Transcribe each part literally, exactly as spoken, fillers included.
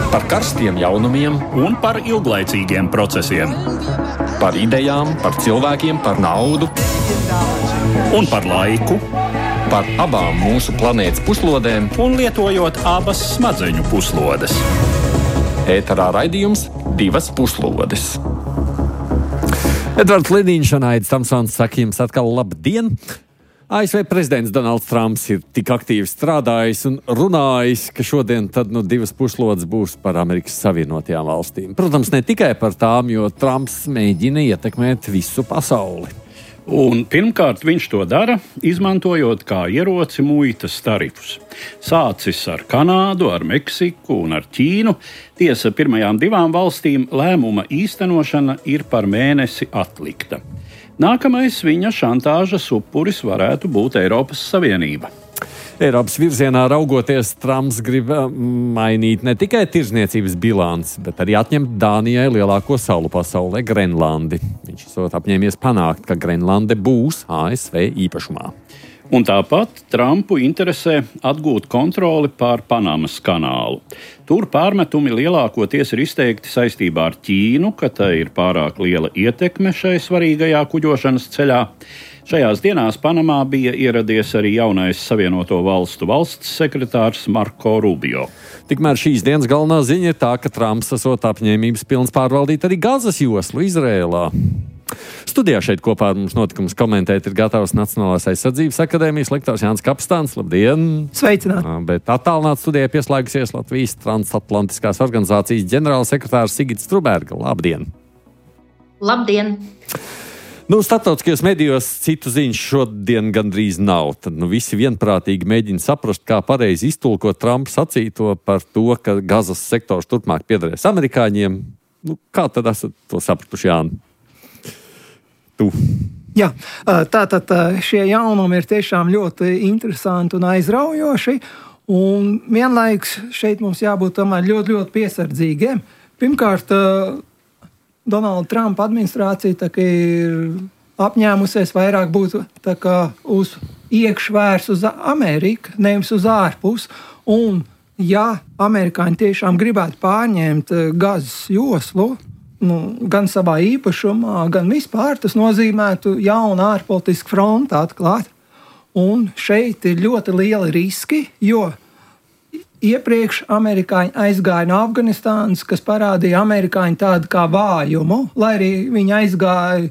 Par karstiem jaunumiem un par ilglaicīgiem procesiem. Par idejām, par cilvēkiem, par naudu Un par laiku. Par abām mūsu planētas puslodēm. Un lietojot abas smadzeņu puslodes. Ēterā raidījums Divas puslodes. Edvards Liniņš un Aidis Tamsons saka jums atkal labdien! A S V prezidents Donalds Trumps ir tik aktīvi strādājis un runājis, ka šodien tad nu divas puslodes būs par Amerikas Savienotajām valstīm. Protams, ne tikai par tām, jo Trumps mēģina ietekmēt visu pasauli. Un pirmkārt viņš to dara, izmantojot kā ieroci muitas tarifus. Sācis ar Kanādu, ar Meksiku un ar Ķīnu. Tiesa, pirmajām divām valstīm lēmuma īstenošana ir par mēnesi atlikta. Nākamais viņa šantāžas upuris varētu būt Eiropas Savienība. Eiropas virzienā raugoties, Trumps grib mainīt ne tikai tirzniecības bilanci, bet arī atņemt Dānijai lielāko salu pasaulē - Grenlandi. Viņš esot apņēmies panākt, ka Grenlande būs A S V īpašumā. Un tāpat Trumpu interesē atgūt kontroli pār Panamas kanālu. Tur pārmetumi lielākoties ir izteikti saistībā ar Ķīnu, ka tai ir pārāk liela ietekme šai svarīgajā kuģošanas ceļā. Šajās dienās Panamā bija ieradies arī jaunais Savienoto Valstu valsts sekretārs Marko Rubio. Tikmēr šīs dienas galvenā ziņa ir tā, ka Trumps esot apņēmības pilns pārvaldīt arī Gazas joslu Izrēlā. Studijā šeit kopā ar mums notikumus komentēt ir gatavs Nacionālās aizsardzības akadēmijas lektors Jānis Kapstāns. Labdien! Sveicināti! Bet attālināt studijai pieslēgusies Latvijas transatlantiskās organizācijas ģenerālsekretārs Sigita Struberga. Labdien! Labdien! Nu, starptautiskajos medijos citu ziņu šodien gandrīz nav. Tad nu, visi vienprātīgi mēģina saprast, kā pareizi iztulkot Trumpa sacīto par to, ka Gazas sektors turpmāk piederēs amerikāņiem. Nu, kā tad esat to sapratuši, Jāni? Tu. Jā, tātad šie jaunumi ir tiešām ļoti interesanti un aizraujoši. Un vienlaikus šeit mums jābūt tomēr ļoti, ļoti piesardzīgiem. Pirmkārt, Donalda Trumpa administrācija tā kā ir apņēmusies vairāk būt tā kā uz iekšvērs uz Ameriku, nevis uz ārpus. Un ja amerikāņi tiešām gribētu pārņemt Gazas joslu, nu, gan savā īpašumā, gan vispār, tas nozīmētu jaunu ārpolitisku fronti atklāt. Un šeit ir ļoti lieli riski, jo iepriekš amerikāņi aizgāja no Afganistānas, kas parādīja amerikāņu tādu kā vājumu, lai arī viņi aizgāja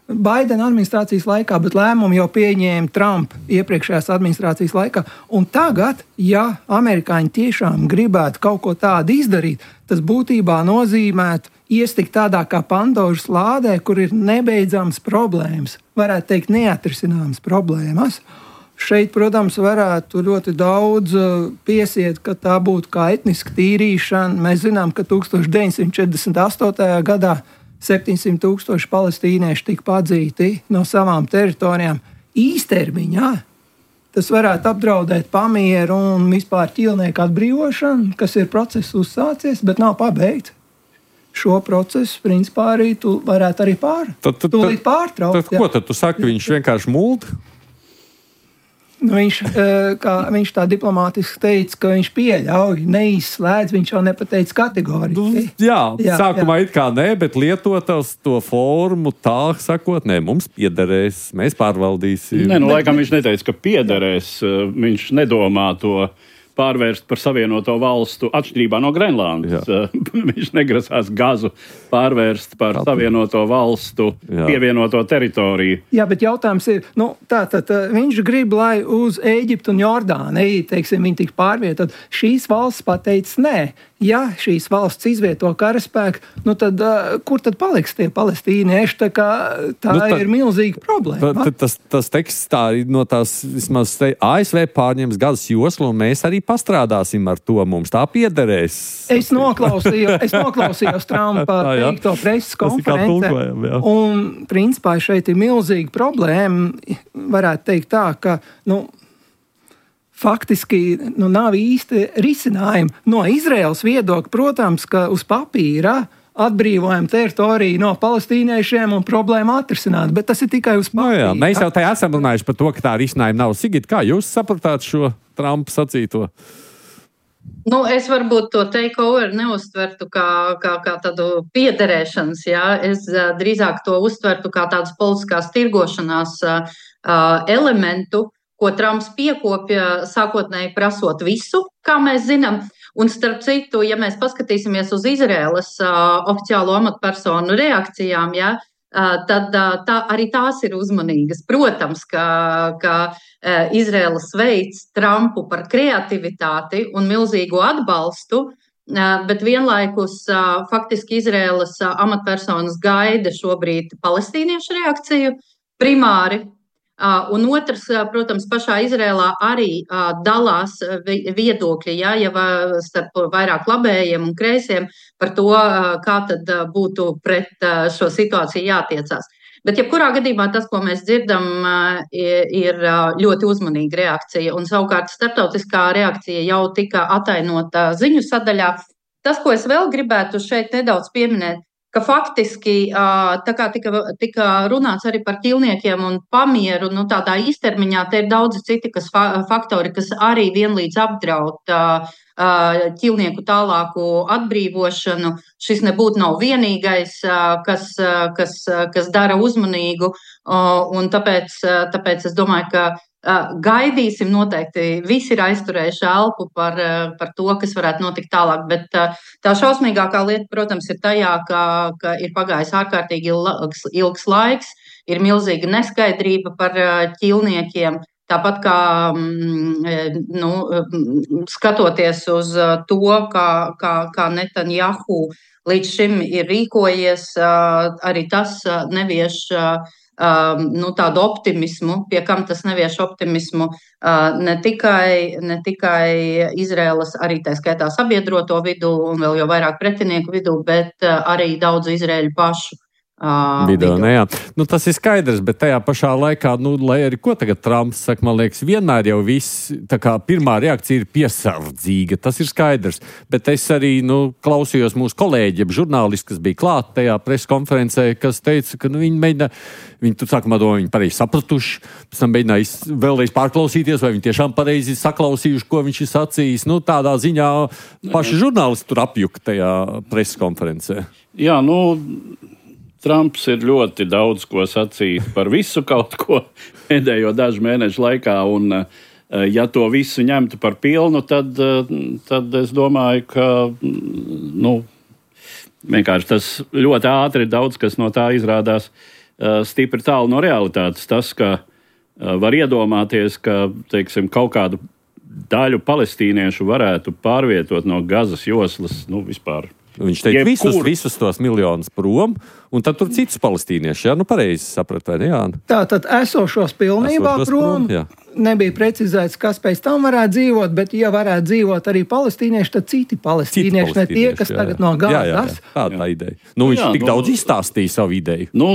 Baidena administrācijas laikā, bet lēmumu jau pieņēma Trumpa iepriekšējās administrācijas laikā. Un tagad, ja amerikāņi tiešām gribētu kaut ko tādu izdarīt, tas būtībā nozīmētu iestikt tādā kā Pandoras lādē, kur ir nebeidzams problēmas, varētu teikt neatrisināmas problēmas. Šeit, protams, varētu ļoti daudz piesiet, ka tā būtu kā etniska tīrīšana. Mēs zinām, ka deviņdesmit deviņsimt četrdesmit astotajā gadā septiņsimt tūkstoši palestīnieši tika padzīti no savām teritorijām īstermiņā. Tas varētu apdraudēt pamieru un vispār ķīlnieku atbrīvošanu, kas ir process uzsācies, bet nav pabeigts. Šo procesu, principā, arī tu varētu arī pār, tad, tad, tūlīt pārtraukt. Tad, ko tad tu saki, viņš vienkārši mūld? Nu, viņš, kā viņš tā diplomātiski teica, ka viņš pieļauj, neizslēdz, viņš jau nepateica kategoriski. Nu, jā, jā, sākumā jā. it kā nē, bet lietot to formu tā, sakot, nē, mums piederēs, mēs pārvaldīsim. Nē, nu, laikam viņš neteica, ka piederēs, viņš nedomā to pārvērst par Savienoto Valstu atšķirībā no Grenlandes. Viņš negrasās Gazu pārvērst par Tātad. Savienoto Valstu Jā. Pievienoto teritoriju. Jā, bet jautājums ir, nu, tātad viņš grib, lai uz Ēģiptu un Jordāniju, teiksim, viņi tik pārvietot. Šīs valsts pateica nē. Ja šīs valsts izvieto karaspēku, nu tad uh, kur tad paliks tie palestīnieši? Tā, kā, tā nu, tā ir milzīga problēma. Tā, tas, tas teksts tā no tās, vismaz te, A S V pārņems Gazas joslu, un mēs arī pastrādāsim ar to, mums tā piederēs. Es noklausījos, es noklausījos Trumpa teikto preses konferencē, un principā šeit ir milzīga problēma, varētu teikt tā, ka, nu, faktiski nu, nav īsti risinājumi. No Izraēlas viedokļa, protams, ka uz papīra atbrīvojam teritoriju no palestīniešiem un problēma atrisināt, bet tas ir tikai uz papīra. No jā, mēs jau tā esam runājuši par to, ka tā risinājuma nav. Sigit, kā jūs sapratāt šo Trumpa sacīto? Nu, es varbūt to takeover neuztvertu kā, kā, kā tādu piederēšanas, jā. Es uh, drīzāk to uztvertu kā tādas politiskās tirgošanās uh, elementu, ko Trumps piekopja sākotnēji prasot visu, kā mēs zinām. Un starp citu, ja mēs paskatīsimies uz Izraēlas uh, oficiālo amatpersonu reakcijām, jā, uh, tad uh, tā, arī tās ir uzmanīgas. Protams, ka, ka uh, Izraēla sveic Trumpu par kreativitāti un milzīgu atbalstu, uh, bet vienlaikus uh, faktiski Izraēlas uh, amatpersonas gaida šobrīd palestīniešu reakciju primāri. Uh, un otrs, uh, protams, pašā Izrēlā arī uh, dalās viedokļi, ja, jau starp vairāk labējiem un kreisiem par to, uh, kā tad uh, būtu pret uh, šo situāciju jātiecās. Bet jebkurā gadījumā tas, ko mēs dzirdam, uh, ir uh, ļoti uzmanīga reakcija, un savukārt starptautiskā reakcija jau tika atainota ziņu sadaļā. Tas, ko es vēl gribētu šeit nedaudz pieminēt, ka faktiski tā kā tika, tika runāts arī par ķīlniekiem un pamieru, nu tādā īstermiņā te ir daudzi citi kas, faktori, kas arī vienlīdz apdraud ķīlnieku tālāku atbrīvošanu. Šis nebūtu nav vienīgais, kas, kas, kas dara uzmanīgu, un tāpēc, tāpēc es domāju, ka gaidīsim noteikti, visi ir aizturējuši elpu par, par to, kas varētu notikt tālāk, bet tā šausmīgākā lieta, protams, ir tajā, ka, ka ir pagājis ārkārtīgi ilgs, ilgs laiks, ir milzīga neskaidrība par ķīlniekiem, tāpat kā nu, skatoties uz to, kā, kā, kā Netanjahu līdz šim ir rīkojies, arī tas nevieš Uh, nu, tādu optimismu, pie kam tas nevieš optimismu uh, ne tikai, ne tikai Izraēlas, arī tā skaitā sabiedroto vidū un vēl jau vairāk pretinieku vidū, bet uh, arī daudzu izraēļu pašu. Uh, Video, ne, jā. Nu, tas ir skaidrs, bet tajā pašā laikā, nu, lai arī ko tagad Trumps saka, man liekas, vienmēr jau viss, tā kā pirmā reakcija ir piesardzīga, tas ir skaidrs, bet es arī, nu, klausījos mūsu kolēģi, žurnālisti, kas bija klāt tajā preskonferencē, kas teica, ka, nu, viņi mēģina, viņi tur sākumā domā, viņi pareizi sapratuši, pēc tam mēģināja vēlreiz pārklausīties, vai viņi tiešām pareizi saklausījuši, ko viņš ir sacījis, nu, tādā ziņā paši žurnālisti tur apjuka tajā preskonferencē. Jā, nu, Trumps ir ļoti daudz ko sacīt par visu kaut ko pēdējo dažu mēnešu laikā, un ja to visu ņemtu par pilnu, tad, tad es domāju, ka nu, vienkārši tas ļoti ātri daudz kas no tā izrādās stipri tālu no realitātes. Tas, ka var iedomāties, ka, teiksim, kaut kādu daļu palestīniešu varētu pārvietot no Gazas joslas, nu, vispār. Viņš teica visus, visus tos miljonus prom, un tad tur citus palestīnieši, jā, nu pareizi saprat, vai ne, Jāna? Tā tad esošos pilnībā esošos prom, prom nebija precizēts, kas pēc tam varētu dzīvot, bet ja varētu dzīvot arī palestīnieši, tad citi palestīnieši, citi palestīnieši ne tie, kas jā, tagad no Gazas. Jā, jā, jā. Tā tā ideja. Nu, viņš jā, tik nu, daudz izstāstīja savu ideju. Nu,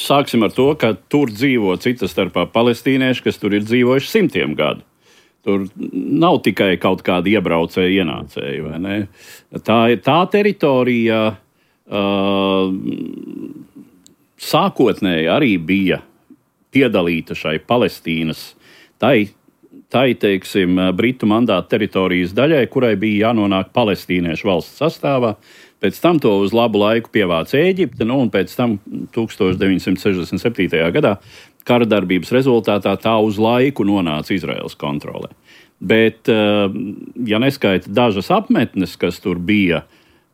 sāksim ar to, ka tur dzīvo cita starpā palestīnieši, kas tur ir dzīvojuši simtiem gadu. Tur nav tikai kaut kāda iebraucēja ienācēja, vai ne? Tā ir tā teritorija, uh, sākotnēji arī bija piedalīta šai Palestīnas, tai, tai teiksim, Britu mandāta teritorijas daļai, kurai bija jānonāk palestīniešu valsts sastāvā. Pēc tam to uz labu laiku pievāca Ēģipte, nu, un pēc tam tukstovš deviņsimt sešdesmit septītajā gadā kara darbības rezultātā tā uz laiku nonāca Izraēlas kontrolē. Bet, ja neskaita dažas apmetnes, kas tur bija,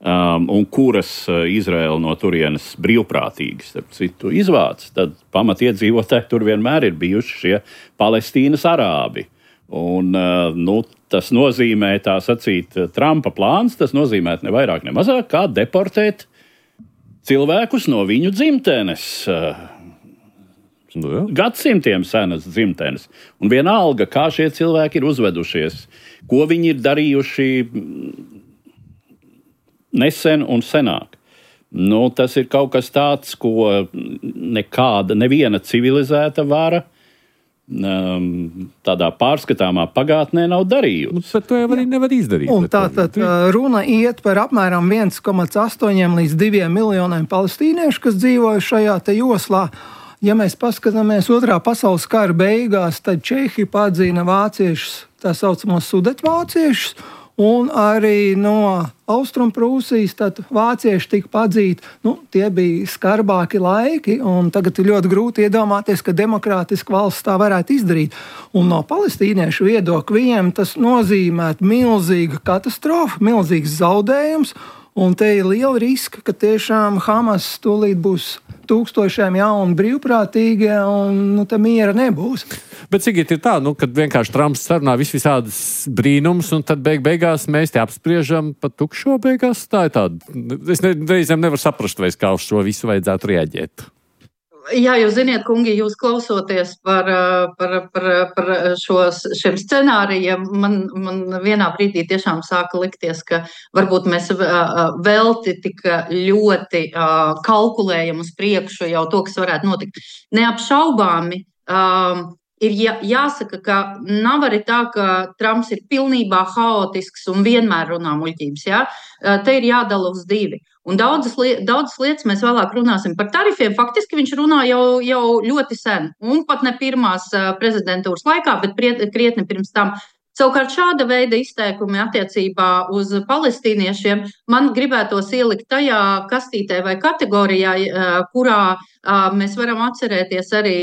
um, un kuras Izraēla no turienes brīvprātīgi, starp citu, izvāca, tad pamatiedzīvotāji tur vienmēr ir bijuši šie Palestīnas arābi. Un, nu, tas nozīmē, tā sacīt, Trumpa plāns, tas nozīmē ne vairāk, ne mazāk, kā deportēt cilvēkus no viņu dzimtenes. Nu, gadsimtiem senas dzimtenes. Un vienalga, kā šie cilvēki ir uzvedušies, ko viņi ir darījuši nesen un senāk. Nu, tas ir kaut kas tāds, ko nekāda, neviena civilizēta vara tādā pārskatāmā pagātnē nav darījusi. Nu, bet to jau arī nevar izdarīt. Un tā tad runa iet par apmēram viens komats astoņi līdz diviem miljoniem palestīniešu, kas dzīvoja šajā te joslā. Ja mēs paskatāmies otrā pasaules kara beigās, tad Čehi padzina vāciešus, tā saucamos sudetvāciešus, un arī no Austrumprūsijas, tad vācieši tika padzīti. Nu, tie bija skarbāki laiki, un tagad ir ļoti grūti iedomāties, ka demokrātiska valsts tā varētu izdarīt. Un no palestīniešu viedokļa viņiem tas nozīmētu milzīgu katastrofu, milzīgs zaudējums, un te ir liela riska, ka tiešām Hamas tūlīt būs tūkstošiem jaunu brīvprātīgie, un nu, te miera nebūs. Bet Sigit, ir tā, nu, kad vienkārši Trumps sarunā vis visādas brīnums, un tad beig beigās mēs te apspriežam pa tukšo beigās. Tā ir tāda. Es ne, reizēm nevaru saprast, vai kā uz šo visu vajadzētu reaģēt. Jā, jūs ziniet, kungi, jūs klausoties par, par, par, par šos, šiem scenārijiem, man, man vienā brīdī tiešām sāka likties, ka varbūt mēs velti tik ļoti kalkulējam uz priekšu jau to, kas varētu notikt. Neapšaubāmi ir jā, jāsaka, ka nav arī tā, ka Trumps ir pilnībā haotisks un vienmēr runā muļķības. Ja? Te ir jādala uz divi. Un daudzas, liet, daudzas lietas mēs vēlāk runāsim par tarifiem. Faktiski viņš runā jau, jau ļoti sen, un pat ne pirmās prezidentūras laikā, bet priet, krietni pirms tam. Savukārt šāda veida izteikumi attiecībā uz palestīniešiem man gribētos ielikt tajā kastītē vai kategorijā, kurā mēs varam atcerēties arī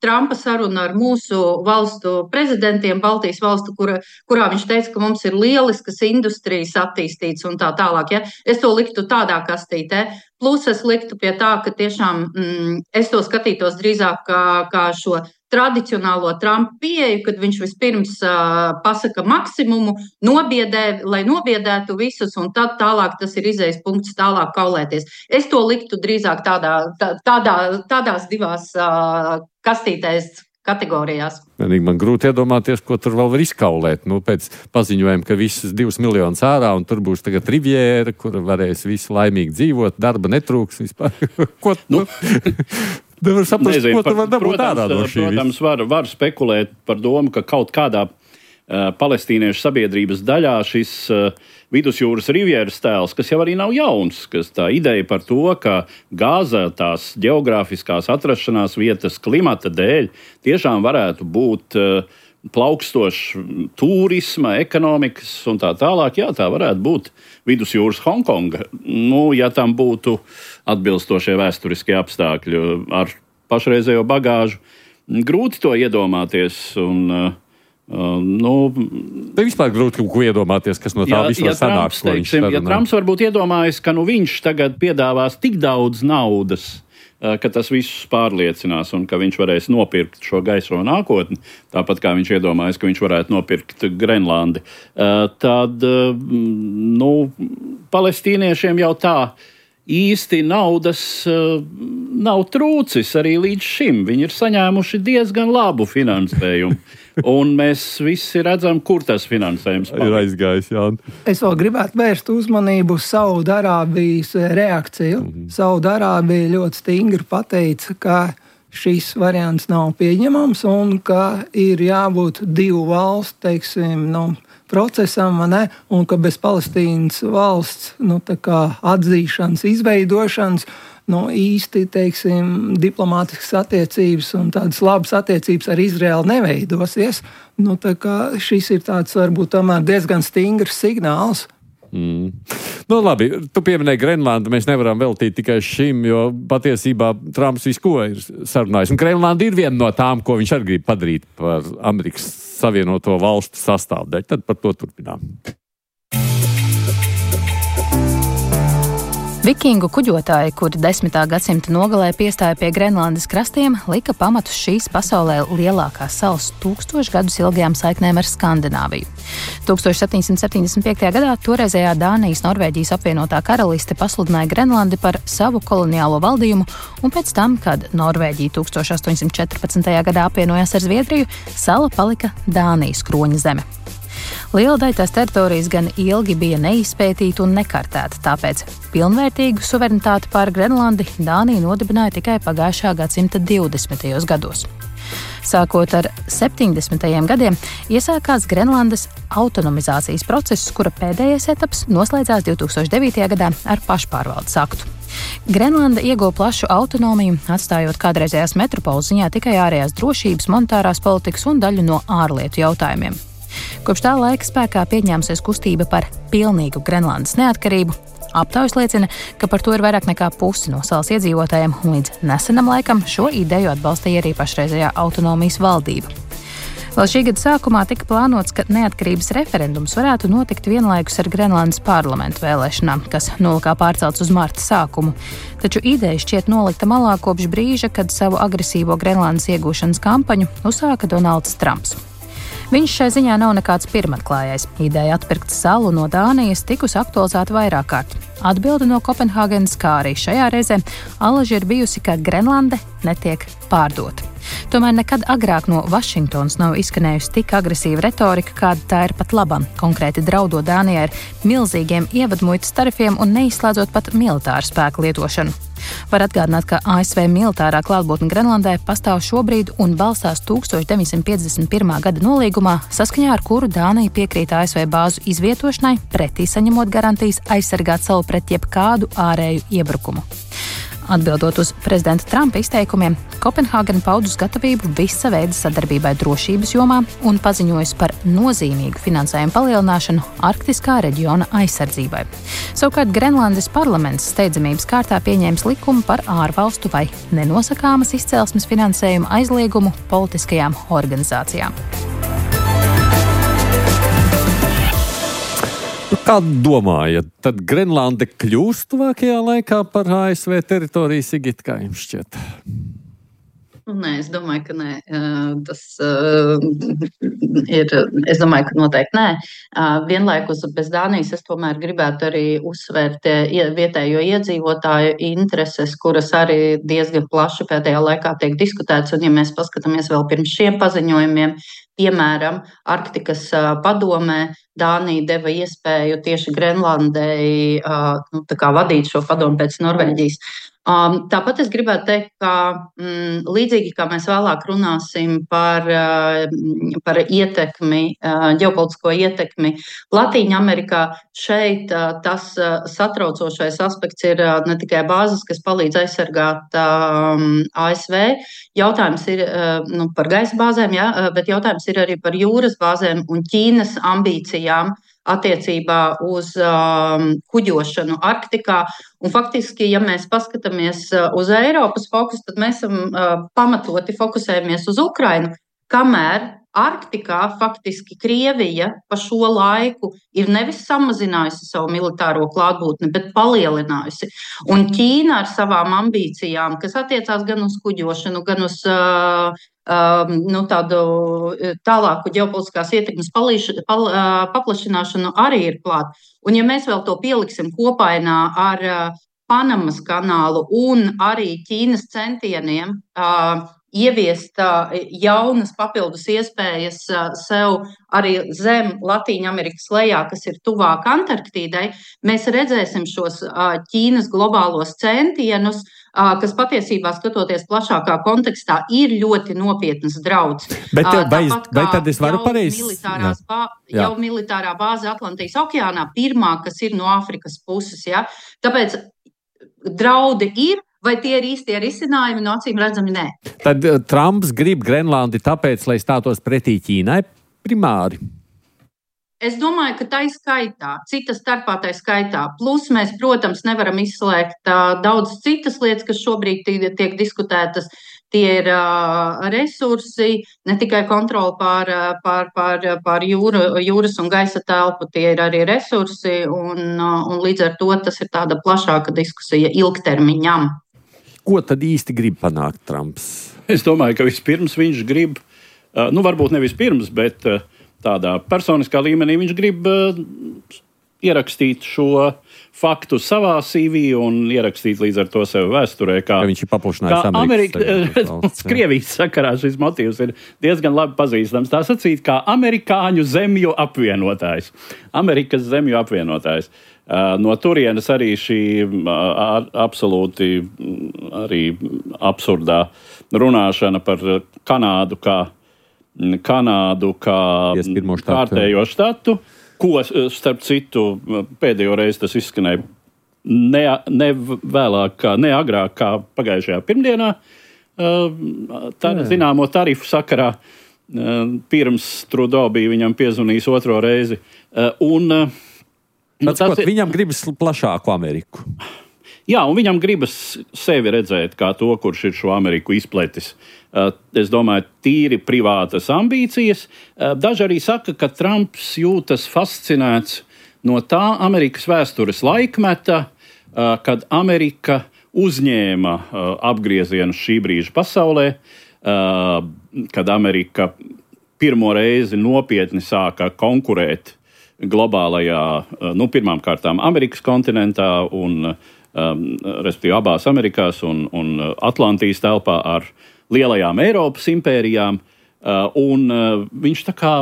Trumpa sarunu ar mūsu valstu prezidentiem, Baltijas valstu, kura, kurā viņš teica, ka mums ir lieliskas industrijas attīstītas un tā tālāk. Ja? Es to liktu tādā kastītē. Plus es liktu pie tā, ka tiešām mm, es to skatītos drīzāk kā, kā šo tradicionālo Trumpa pieeju, kad viņš vispirms uh, pasaka maksimumu, nobiedē, lai nobiedētu visus, un tad tālāk tas ir izējas punkts tālāk kaulēties. Es to liktu drīzāk tādā, tā, tādā, tādās divās uh, kastītēs kategorijās. Man grūti iedomāties, ko tur vēl var izkaulēt. Nu, pēc paziņojuma, ka visas divas miljonus ārā, un tur būs tagad Riviera, kur varēs visi laimīgi dzīvot, darba netrūks vispār. Ko nu? Nevar saprast, Nezinu, ko tur var dabūt ārā no šī. Protams, var, var spekulēt par domu, ka kaut kādā uh, palestīniešu sabiedrības daļā šis uh, vidusjūras Rivieras tēls, kas jau arī nav jauns, kas tā ideja par to, ka Gāza tās geogrāfiskās atrašanās vietas klimata dēļ tiešām varētu būt uh, plaukstošs turisma, ekonomikas un tā tālāk. Jā, tā varētu būt vidusjūras Hongkonga. Nu, ja tam būtu atbilstošie vēsturiskie apstākļi ar pašreizējo bagāžu, grūti to iedomāties. Un, uh, nu, Te vispār grūti ko iedomāties, kas no tā ja, visu var ja sanākt. Trumps, teiksim, ja Trumps varbūt iedomājas, ka nu, viņš tagad piedāvās tik daudz naudas, ka tas visus pārliecinās un ka viņš varēs nopirkt šo gaiso nākotni, tāpat kā viņš iedomājas, ka viņš varētu nopirkt Grenlandi, tad nu, palestīniešiem jau tā īsti naudas nav trūcis arī līdz šim. Viņi ir saņēmuši diezgan labu finansējumu. Un mēs visi redzam, kur tas finansējums paliek. Ir aizgājis, jā. Es vēl gribētu vērst uzmanību uz Saudarābijas reakciju. Mm-hmm. Saudarābija ļoti stingri pateica, ka šis variants nav pieņemams un ka ir jābūt divu valstu, teiksim, nu, procesam, ne? Un ka bez Palestīnas valsts nu, tā kā atzīšanas, izveidošanas, nu, īsti, teiksim, diplomātiskas attiecības un tādas labas attiecības ar Izraēlu neveidosies. Nu, tā kā šis ir tāds, varbūt, tomēr diezgan stingrs signāls. Mm. Nu, labi, tu pieminēji Grenlandu, mēs nevaram veltīt tikai šim, jo patiesībā Trumps visu ko ir sarunājis. Un Grenlanda ir viena no tām, ko viņš arī grib padarīt par Amerikas Savienoto valstu sastāvdaļu. Tad par to turpinām. Vikingu kuģotāji, kuri desmitā gadsimta nogalē piestāja pie Grenlandes krastiem, lika pamatus šīs pasaulē lielākās salas tūkstošu gadus ilgajām saiknēm ar Skandināviju. tūkstoš septiņsimt septiņdesmit piektajā gadā toreizējā Dānijas Norvēģijas apvienotā karaliste pasludināja Grenlandi par savu koloniālo valdījumu, un pēc tam, kad Norvēģija tūkstoš astoņsimt četrpadsmitajā gadā apvienojās ar Zviedriju, sala palika Dānijas kroņa zeme. Liela daļa tās teritorijas gan ilgi bija neizpētīta un nekartēta, tāpēc pilnvērtīgu suverenitāti pār Grenlandi Dānija nodibināja tikai pagājušā gadsimta divdesmitajos gados. Sākot ar septiņdesmitajiem gadiem, iesākās Grenlandes autonomizācijas process, kura pēdējais etaps noslēdzās divtūkstoš devītajā gadā ar pašpārvaldes aktu. Grenlanda ieguva plašu autonomiju, atstājot kādreizējās metropoles ziņā tikai ārējās drošības, monetārās politikas un daļu no ārlietu jautājumiem. Kopš tā laika spēkā pieņēmusies kustība par pilnīgu Grenlandes neatkarību. Aptaujas liecina, ka par to ir vairāk nekā pusi no salas iedzīvotājiem, un līdz nesenam laikam šo ideju atbalstīja arī pašreizējā autonomijas valdība. Vēl šī gada sākumā tika plānots, ka neatkarības referendums varētu notikt vienlaikus ar Grenlandes parlamentu vēlēšanām, kas nolikā pārcelts uz marta sākumu. Taču ideja šķiet nolikta malā kopš brīža, kad savu agresīvo Grenlandes iegūšanas kampaņu uzsāka Donalds Trumps. Viņš šai ziņā nav nekāds pirmatklājais. Ideja atpirkt salu no Dānijas tikusi aktualizēta vairāk kārt. Atbilde no Kopenhāgenes, kā arī šajā reizē, alaži ir bijusi, ka Grenlande netiek pārdota. Tomēr nekad agrāk no Vašingtonas nav izskanējusi tik agresīva retorika, kāda tā ir pat labam, konkrēti draudot Dānijai ar milzīgiem ievadmuitas tarifiem un neizslēdzot pat militāru spēku lietošanu. Var atgādināt, ka A S V militārā klātbūtne Grenlandē pastāv šobrīd un balstās tukstovš deviņsimt piecdesmit pirmā gada nolīgumā, saskaņā ar kuru Dānija piekrīt A S V bāzu izvietošanai, pretī saņemot garantijas aizsargāt salu pret jebkādu ārēju iebrukumu. Atbildot uz prezidenta Trumpa izteikumiem, Kopenhāgena paudus gatavību visa veida sadarbībai drošības jomā un paziņojusi par nozīmīgu finansējumu palielināšanu arktiskā reģiona aizsardzībai. Savukārt Grenlandes parlaments steidzamības kārtā pieņēmis likumu par ārvalstu vai nenosakāmas izcelsmes finansējumu aizliegumu politiskajām organizācijām. Kā domājat, tad Grenlande kļūs tuvākajā laikā par A S V teritoriju, Sigita, kā jums šķiet? Nē, es domāju, ka nē. Tas uh, ir, es domāju, ka noteikti nē. Uh, vienlaikus bez Dānijas es tomēr gribētu arī uzsvērt vietējo iedzīvotāju intereses, kuras arī diezgan plaši pēdējā laikā tiek diskutētas. Un ja mēs paskatāmies vēl pirms šiem paziņojumiem, piemēram, Arktikas uh, padomē, Dānija deva iespēju tieši Grenlandei uh, nu, tā kā vadīt šo padomu pēc Norvēģijas. Um, tāpat es gribētu teikt, ka mm, līdzīgi kā mēs vēlāk runāsim par, uh, par ietekmi, uh, ģeopolitisko ietekmi Latīņa Amerikā, šeit uh, tas uh, satraucošais aspekts ir uh, ne tikai bāzes, kas palīdz aizsargāt um, A S V. Jautājums ir uh, nu, par gaisa bāzēm, ja, bet jautājums ir arī par jūras bāzēm un Ķīnas ambīcijām attiecībā uz um, kuģošanu Arktikā. Un faktiski, ja mēs paskatāmies uz Eiropas fokusu, tad mēs esam uh, pamatoti fokusējamies uz Ukrainu, kamēr Arktikā faktiski Krievija pa šo laiku ir nevis samazinājusi savu militāro klātbūtni, bet palielinājusi. Un Ķīna ar savām ambīcijām, kas attiecās gan uz kuģošanu, gan uz uh, uh, nu, tādu tālāku ģeopolitiskās ietekmes palīš, pal, uh, paplašināšanu, arī ir klāt. Un ja mēs vēl to pieliksim kopainā ar uh, Panamas kanālu un arī Ķīnas centieniem uh, ieviest uh, jaunas papildus iespējas uh, sev arī zem Latīņamerikas lejā, kas ir tuvāk Antarktīdai, mēs redzēsim šos uh, Ķīnas globālos centienus, uh, kas patiesībā, skatoties plašākā kontekstā, ir ļoti nopietnas draudz. Bet, uh, vai, vai tad es varu pareizi? Bā, jau militārā bāze Atlantijas okeānā, pirmā, kas ir no Āfrikas puses. Ja? Tāpēc draudi ir. Vai tie ir īstie risinājumi? No acīm redzami, nē. Tad uh, Trumps grib Grenlandi tāpēc, lai stātos pretī Ķīnai primāri? Es domāju, ka tā ir skaitā, cita starpā tā ir skaitā. Plus mēs, protams, nevaram izslēgt uh, daudz citas lietas, kas šobrīd tiek, tiek diskutētas. Tie ir uh, resursi, ne tikai kontroli pār, pār, pār, pār jūra, jūras un gaisa telpu, tie ir arī resursi, un, uh, un līdz ar to tas ir tāda plašāka diskusija ilgtermiņam. Ko tad īsti grib panākt Trumps? Es domāju, ka vispirms viņš grib, uh, nu varbūt ne vispirms, bet uh, tādā personiskā līmenī viņš grib uh, ierakstīt šo faktu savā C V un ierakstīt līdz ar to sev vēsturē, kā, ja viņš ir paplašinājis Amerikas. Amerika, Krievijas sakarā šis motīvs ir diezgan labi pazīstams. Tā sacīt, kā amerikāņu zemju apvienotājs. Amerikas zemju apvienotājs. Uh, no turienes arī šī uh, absolūti arī absurdā runāšana par Kanādu kā, Kanādu kā kārtējo štatu. Ko, starp citu, pēdējo reizi tas izskanēja ne, ne vēlāk, kā, ne agrāk kā pagājušajā pirmdienā, tā, zināmo tarifu sakarā. pirms Trudeau bija viņam piezvanījis otro reizi. Un, nu, tas, ir... Viņam gribas plašāku Ameriku. Jā, un viņam gribas sevi redzēt kā to, kurš ir šo Ameriku izpletis. Es domāju, tīri privātas ambīcijas. Daži arī saka, ka Trumps jūtas fascinēts no tā Amerikas vēstures laikmeta, kad Amerika uzņēma apgriezienu šī brīža pasaulē, kad Amerika pirmo reizi nopietni sāka konkurēt globālajā, nu, pirmām kārtām Amerikas kontinentā un Um, respektīvi abās Amerikās un, un Atlantijas telpā ar lielajām Eiropas impērijām, uh, un uh, viņš tā kā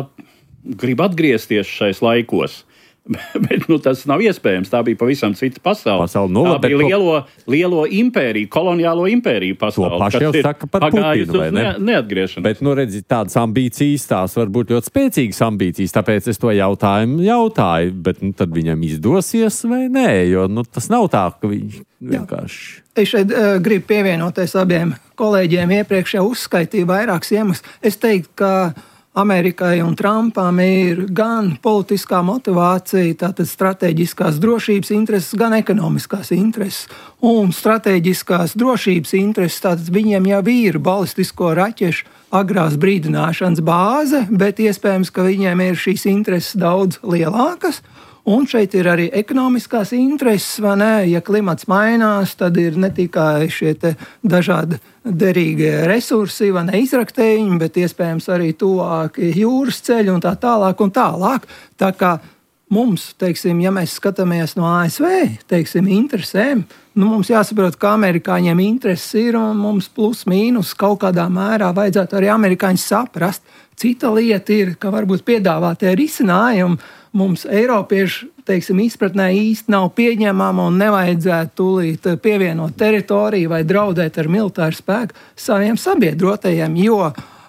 grib atgriezties šais laikos. Bet nu, tas nav iespējams. Tā bija pavisam cita pasaule. pasaule nula, tā bija lielo, lielo impēriju, koloniālo impēriju pasaule. To paši jau saka par Putinu, vai ne? Neatgriešanos. Bet, nu, redzi, tādas ambīcijas, tās var būt ļoti spēcīgas ambīcijas, tāpēc es to jautājumu jautāju, bet nu, tad viņam izdosies vai nē, jo nu, tas nav tā, ka viņš vienkārši... Es šeit uh, gribu pievienoties abiem kolēģiem. Iepriekš jau uzskaitīju vairākus iemeslus. Es teiktu, ka Amerikai un Trumpam ir gan politiskā motivācija, tātad strateģiskās drošības intereses, gan ekonomiskās intereses. Un strateģiskās drošības intereses, tātad viņiem jau ir balistisko raķešu agrās brīdināšanas bāze, bet iespējams, ka viņiem ir šīs intereses daudz lielākas. Un šeit ir arī ekonomiskās intereses, vai ne? Ja klimats mainās, tad ir ne tikai šie dažādi derīgie resursi, vai ne, izraktējiņi, bet iespējams arī tuvāki jūras ceļi un tā tālāk un tālāk. Tā kā mums, teiksim, ja mēs skatāmies no A S V, teiksim, interesēm, nu mums jāsaprot, ka amerikāņiem intereses ir un mums plus mīnus kaut kādā mērā vajadzētu arī amerikāņus saprast. Cita lieta ir, ka varbūt piedāvātie risinājumi mums Eiropiešu, teiksim, izpratnē īsti nav pieņemama un nevajadzētu tūlīt pievienot teritoriju vai draudēt ar militāru spēku saviem sabiedrotajiem, jo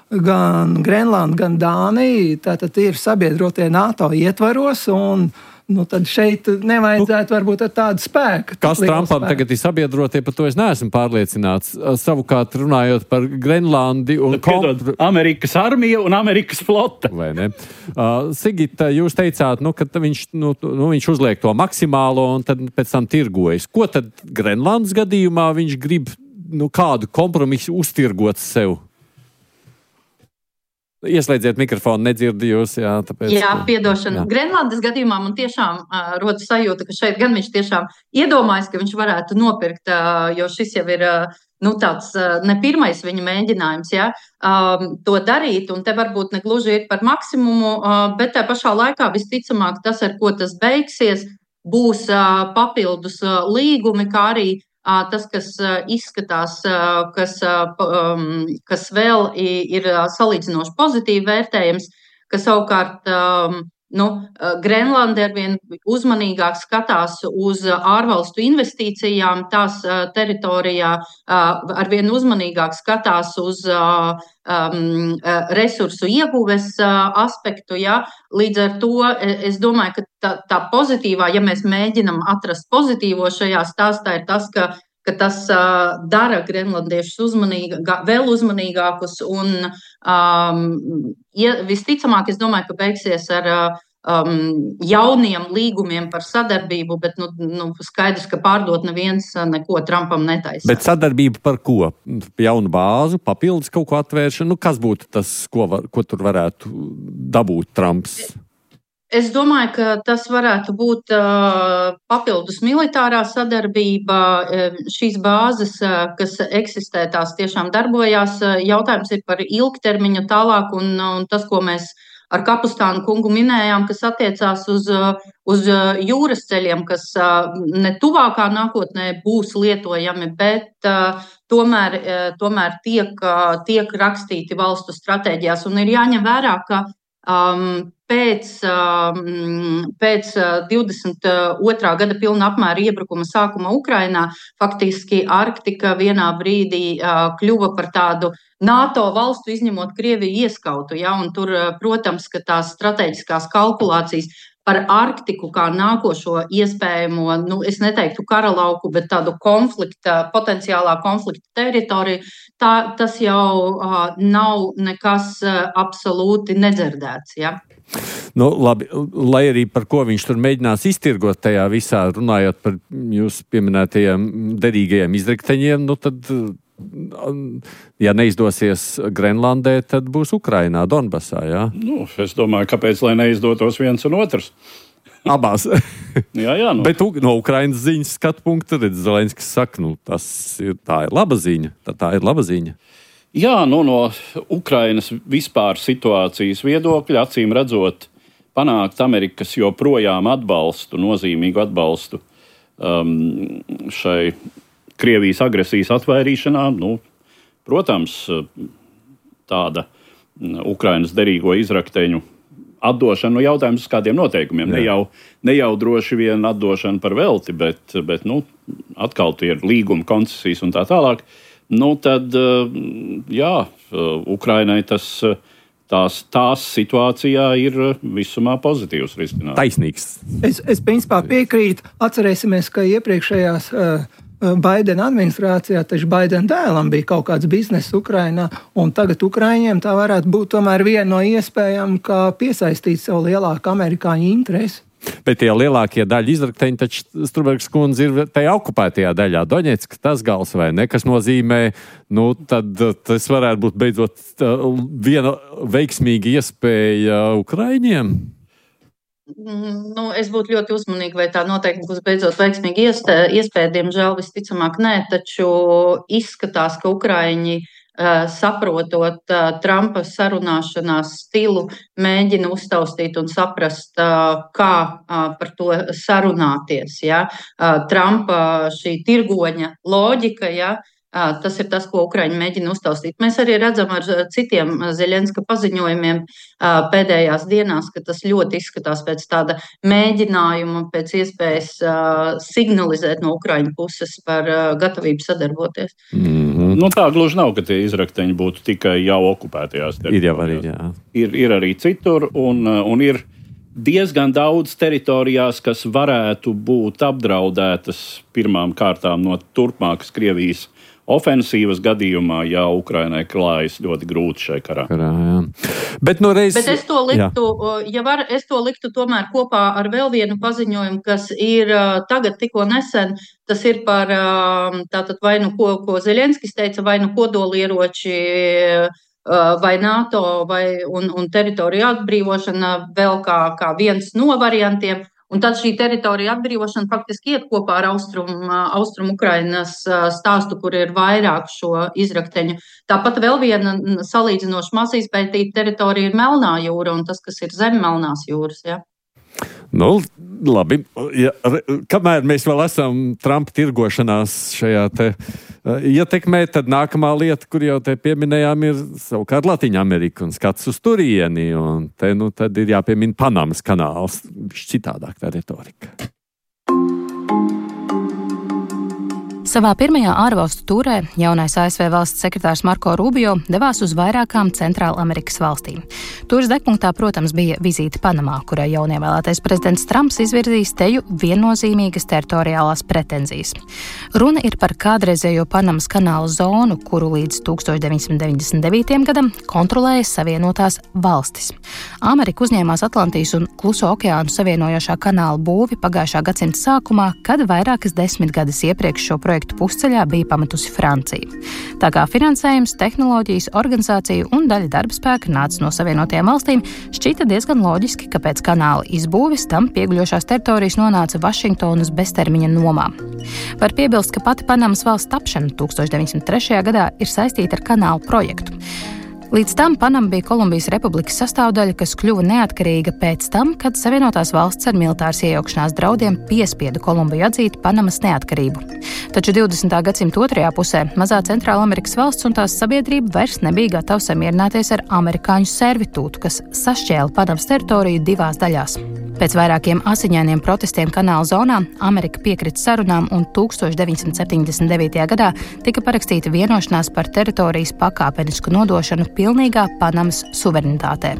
gan Grenlanda, gan Dānija tātad ir sabiedrotie NATO ietvaros un nu, tad šeit nevajadzētu varbūt ar tādu spēku. Kas Trumpam tagad ir sabiedrotie, par to es neesmu pārliecināts. Savukārt runājot par Grenlandi un Piedod, Amerikas armija un Amerikas flota. Vai ne? Uh, Sigita, jūs teicāt, nu, ka viņš, nu, nu, viņš uzliek to maksimālo un tad pēc tam tirgojas. Ko tad Grenlandas gadījumā viņš grib, nu, kādu kompromisu uztirgot sev? Ieslēdziet mikrofonu, nedzirdi jūs. Jā, tāpēc, jā piedošana. Jā. Grenlandes gadījumā man tiešām uh, rodas sajūta, ka šeit gan viņš tiešām iedomājas, ka viņš varētu nopirkt, uh, jo šis jau ir uh, nu, tāds uh, ne pirmais viņa mēģinājums, ja, um, to darīt, un te varbūt ne gluži ir par maksimumu, uh, bet tā pašā laikā visticamāk tas, ar ko tas beigsies, būs uh, papildus uh, līgumi, kā arī tas, kas izskatās, kas, kas vēl ir salīdzinoši pozitīvi vērtējams, ka savukārt nu, Grenlanda arvien uzmanīgāk skatās uz ārvalstu investīcijām, tās teritorijā arvien uzmanīgāk skatās uz um, resursu ieguves aspektu. Ja? Līdz ar to es domāju, ka tā, tā pozitīvā, ja mēs mēģinam atrast pozitīvo šajā stāstā, ir tas, ka ka tas uh, dara grenlandiešus uzmanīgā, vēl uzmanīgākus un um, ja, visticamāk, es domāju, ka beigsies ar um, jauniem līgumiem par sadarbību, bet nu, nu, skaidrs, ka pārdot neviens neko Trumpam netaisa. Bet sadarbība par ko? Jaunu bāzu, papildus kaut ko atvēršanu? Nu, kas būtu tas, ko, var, ko tur varētu dabūt Trumps? Es domāju, ka tas varētu būt uh, papildus militārā sadarbība. Šīs bāzes, uh, kas eksistē, tās tiešām darbojās. Jautājums ir par ilgtermiņu tālāk, un, un tas, ko mēs ar Kapustānu kungu minējām, kas attiecās uz, uz jūras ceļiem, kas uh, ne tuvākā nākotnē būs lietojami, bet uh, tomēr, uh, tomēr tiek, uh, tiek rakstīti valstu stratēģijās. Un ir jāņem vērā, ka Um, pēc, um, pēc divdesmit otrā gada pilna apmēra iebrukuma sākuma Ukrainā faktiski Arktika vienā brīdī uh, kļuva par tādu NATO valstu, izņemot Krieviju, ieskautu. Ja? Un tur, protams, ka tās strateģiskās kalkulācijas par Arktiku kā nākošo iespējamo, nu, es neteiktu kara lauku, bet tādu konflikta, potenciālā konflikta teritoriju, tā, tas jau uh, nav nekas uh, absolūti nedzirdēts, ja? Nu, labi, lai arī par ko viņš tur mēģinās iztirgot tajā visā, runājot par jūsu pieminētajiem derīgajiem izrakteņiem, nu tad, ja neizdosies Grenlandē, tad būs Ukrainā, Donbasā, jā? Nu, es domāju, kāpēc, lai neizdotos viens un otrs? Abās. jā, jā. Nu. Bet no Ukrainas ziņas skatu punkta, redz, Zelenskis saka, nu, tas ir, tā ir laba ziņa, tā, tā ir laba ziņa. Jā, nu, no Ukrainas vispār situācijas viedokļa, acīm redzot, panākt Amerikas joprojām atbalstu, nozīmīgu atbalstu um, šai Krievijas agresijas atvairīšanā. Nu, protams, tāda Ukrainas derīgo izrakteņu atdošana, nu, jautājums uz kādiem noteikumiem. Ne jau, ne jau droši vien atdošana par velti, bet, bet nu, atkal tie ir līguma koncesijas un tā tālāk. Nu, tad, jā, Ukrainai tas, tās, tās situācijā ir visumā pozitīvs risinājums. Taisnīgs. Es, es principā piekrītu. Atcerēsimies, ka iepriekšējās uh, Baidena administrācijā, taču Baidena dēlam bija kaut kāds bizness Ukrainā, un tagad Ukraiņiem tā varētu būt tomēr viena no iespējām, kā piesaistīt sev lielāku amerikāņu interesi. Bet tie lielākie daļa izrakteņi, taču Strunbergs kundze ir tajā okupētajā daļā, Doņetska, tas gals vai ne, kas nozīmē, nu, tad tas varētu būt beidzot viena veiksmīga iespēja Ukraiņiem? Nu, es būtu ļoti uzmanīga, vai tā noteikti būs beidzot veiksmīga iespēja, diemžēl visticamāk nē, taču izskatās, ka Ukraiņi saprotot Trumpa sarunāšanās stilu, mēģina uztaustīt un saprast, kā par to sarunāties. Ja? Trumpa šī tirgoņa loģika, ja? Tas ir tas, ko Ukraiņi mēģina uztaustīt. Mēs arī redzam ar citiem Zeļenska paziņojumiem pēdējās dienās, ka tas ļoti izskatās pēc tāda mēģinājuma, pēc iespējas signalizēt no Ukraiņu puses par gatavību sadarboties. Mm-hmm. Nu, tā gluži nav, ka tie izrakteņi būtu tikai jau okupētajās teritorijās. Ir jau arī, jā. Ir, ir arī citur, un, un ir diezgan daudz teritorijās, kas varētu būt apdraudētas pirmām kārtām no turpmākas Krievijas ofensīvas gadījumā, ja Ukrainai klājas ļoti grūti šai karā. karā jā. Bet, no reiz... Bet es to liktu, ja var, es to liktu tomēr kopā ar vēl vienu paziņojumu, kas ir tagad tikko nesen, tas ir par tātad vai nu ko, ko Zeļenskis teica, vai nu kodolieroči, vai NATO, vai, un, un teritoriju atbrīvošana vēl kā, kā viens no variantiem. Un tad šī teritorija atbrīvošana faktiski iet kopā ar Austrum, Austrum Ukrainas stāstu, kur ir vairāk šo izrakteņu. Tāpat vēl viena salīdzinoši maz izpētīta teritorija ir Melnā jūra un tas, kas ir zem Melnās jūras. Ja? Nu, labi. Ja, kamēr mēs vēl esam Trumpa tirgošanās šajā te uh, ietekmē, tad nākamā lieta, kur jau te pieminējām, ir savukārt Latīņa Amerika un skats uz turieni. Un te, nu, tad ir jāpiemina Panamas kanāls. Citādāk tā retorika. Savā pirmajā ārvalstu tūrē jaunais A S V valsts sekretārs Marko Rubio devās uz vairākām Centrāla Amerikas valstīm. Tūres degpunktā, protams, bija vizīte Panamā, kurai jaunievēlētais prezidents Trumps izvirzīs teju viennozīmīgas teritoriālās pretenzijas. Runa ir par kādreizējo Panamas kanāla zonu, kuru līdz tūkstoš deviņsimt deviņdesmit devītajam gadam kontrolēja Savienotās valstis. Amerika uzņēmās Atlantijas un Kluso okeānu savienojošā kanāla būvi pagājušā gadsimta sākumā, kad vairākas desmitgades iepriekš šo projektu pusceļā bija pametusi Francija. Tā kā finansējums, tehnoloģijas, organizācija un daļa darba spēka nāca no Savienotajām valstīm, šķita diezgan loģiski, ka pēc kanāla izbūves tam pieguļošās teritorijas nonāca Vašingtonas beztermiņa nomā. Var piebilst, ka pati Panamas valsts tapšana tūkstoš deviņsimt trešajā gadā ir saistīta ar kanālu projektu. Līdz tam Panama bija Kolumbijas republikas sastāvdaļa, kas kļuva neatkarīga pēc tam, kad Savienotās valsts ar militāras iejaukšanās draudiem piespieda Kolumbiju atzīt Panamas neatkarību. Taču divdesmitā gadsimta otrajā pusē mazā Centrāla Amerikas valsts un tās sabiedrība vairs nebija gatava samierināties ar amerikāņu servitūtu, kas sašķēla Panamas teritoriju divās daļās. Pēc vairākiem asiņainiem protestiem kanāla zonā Amerika piekrita sarunām un tūkstoš deviņsimt septiņdesmit devītajā gadā tika parakstīta vienošanās par teritorijas pakāpenisku nodošanu pilnīgā Panamas suverenitātē.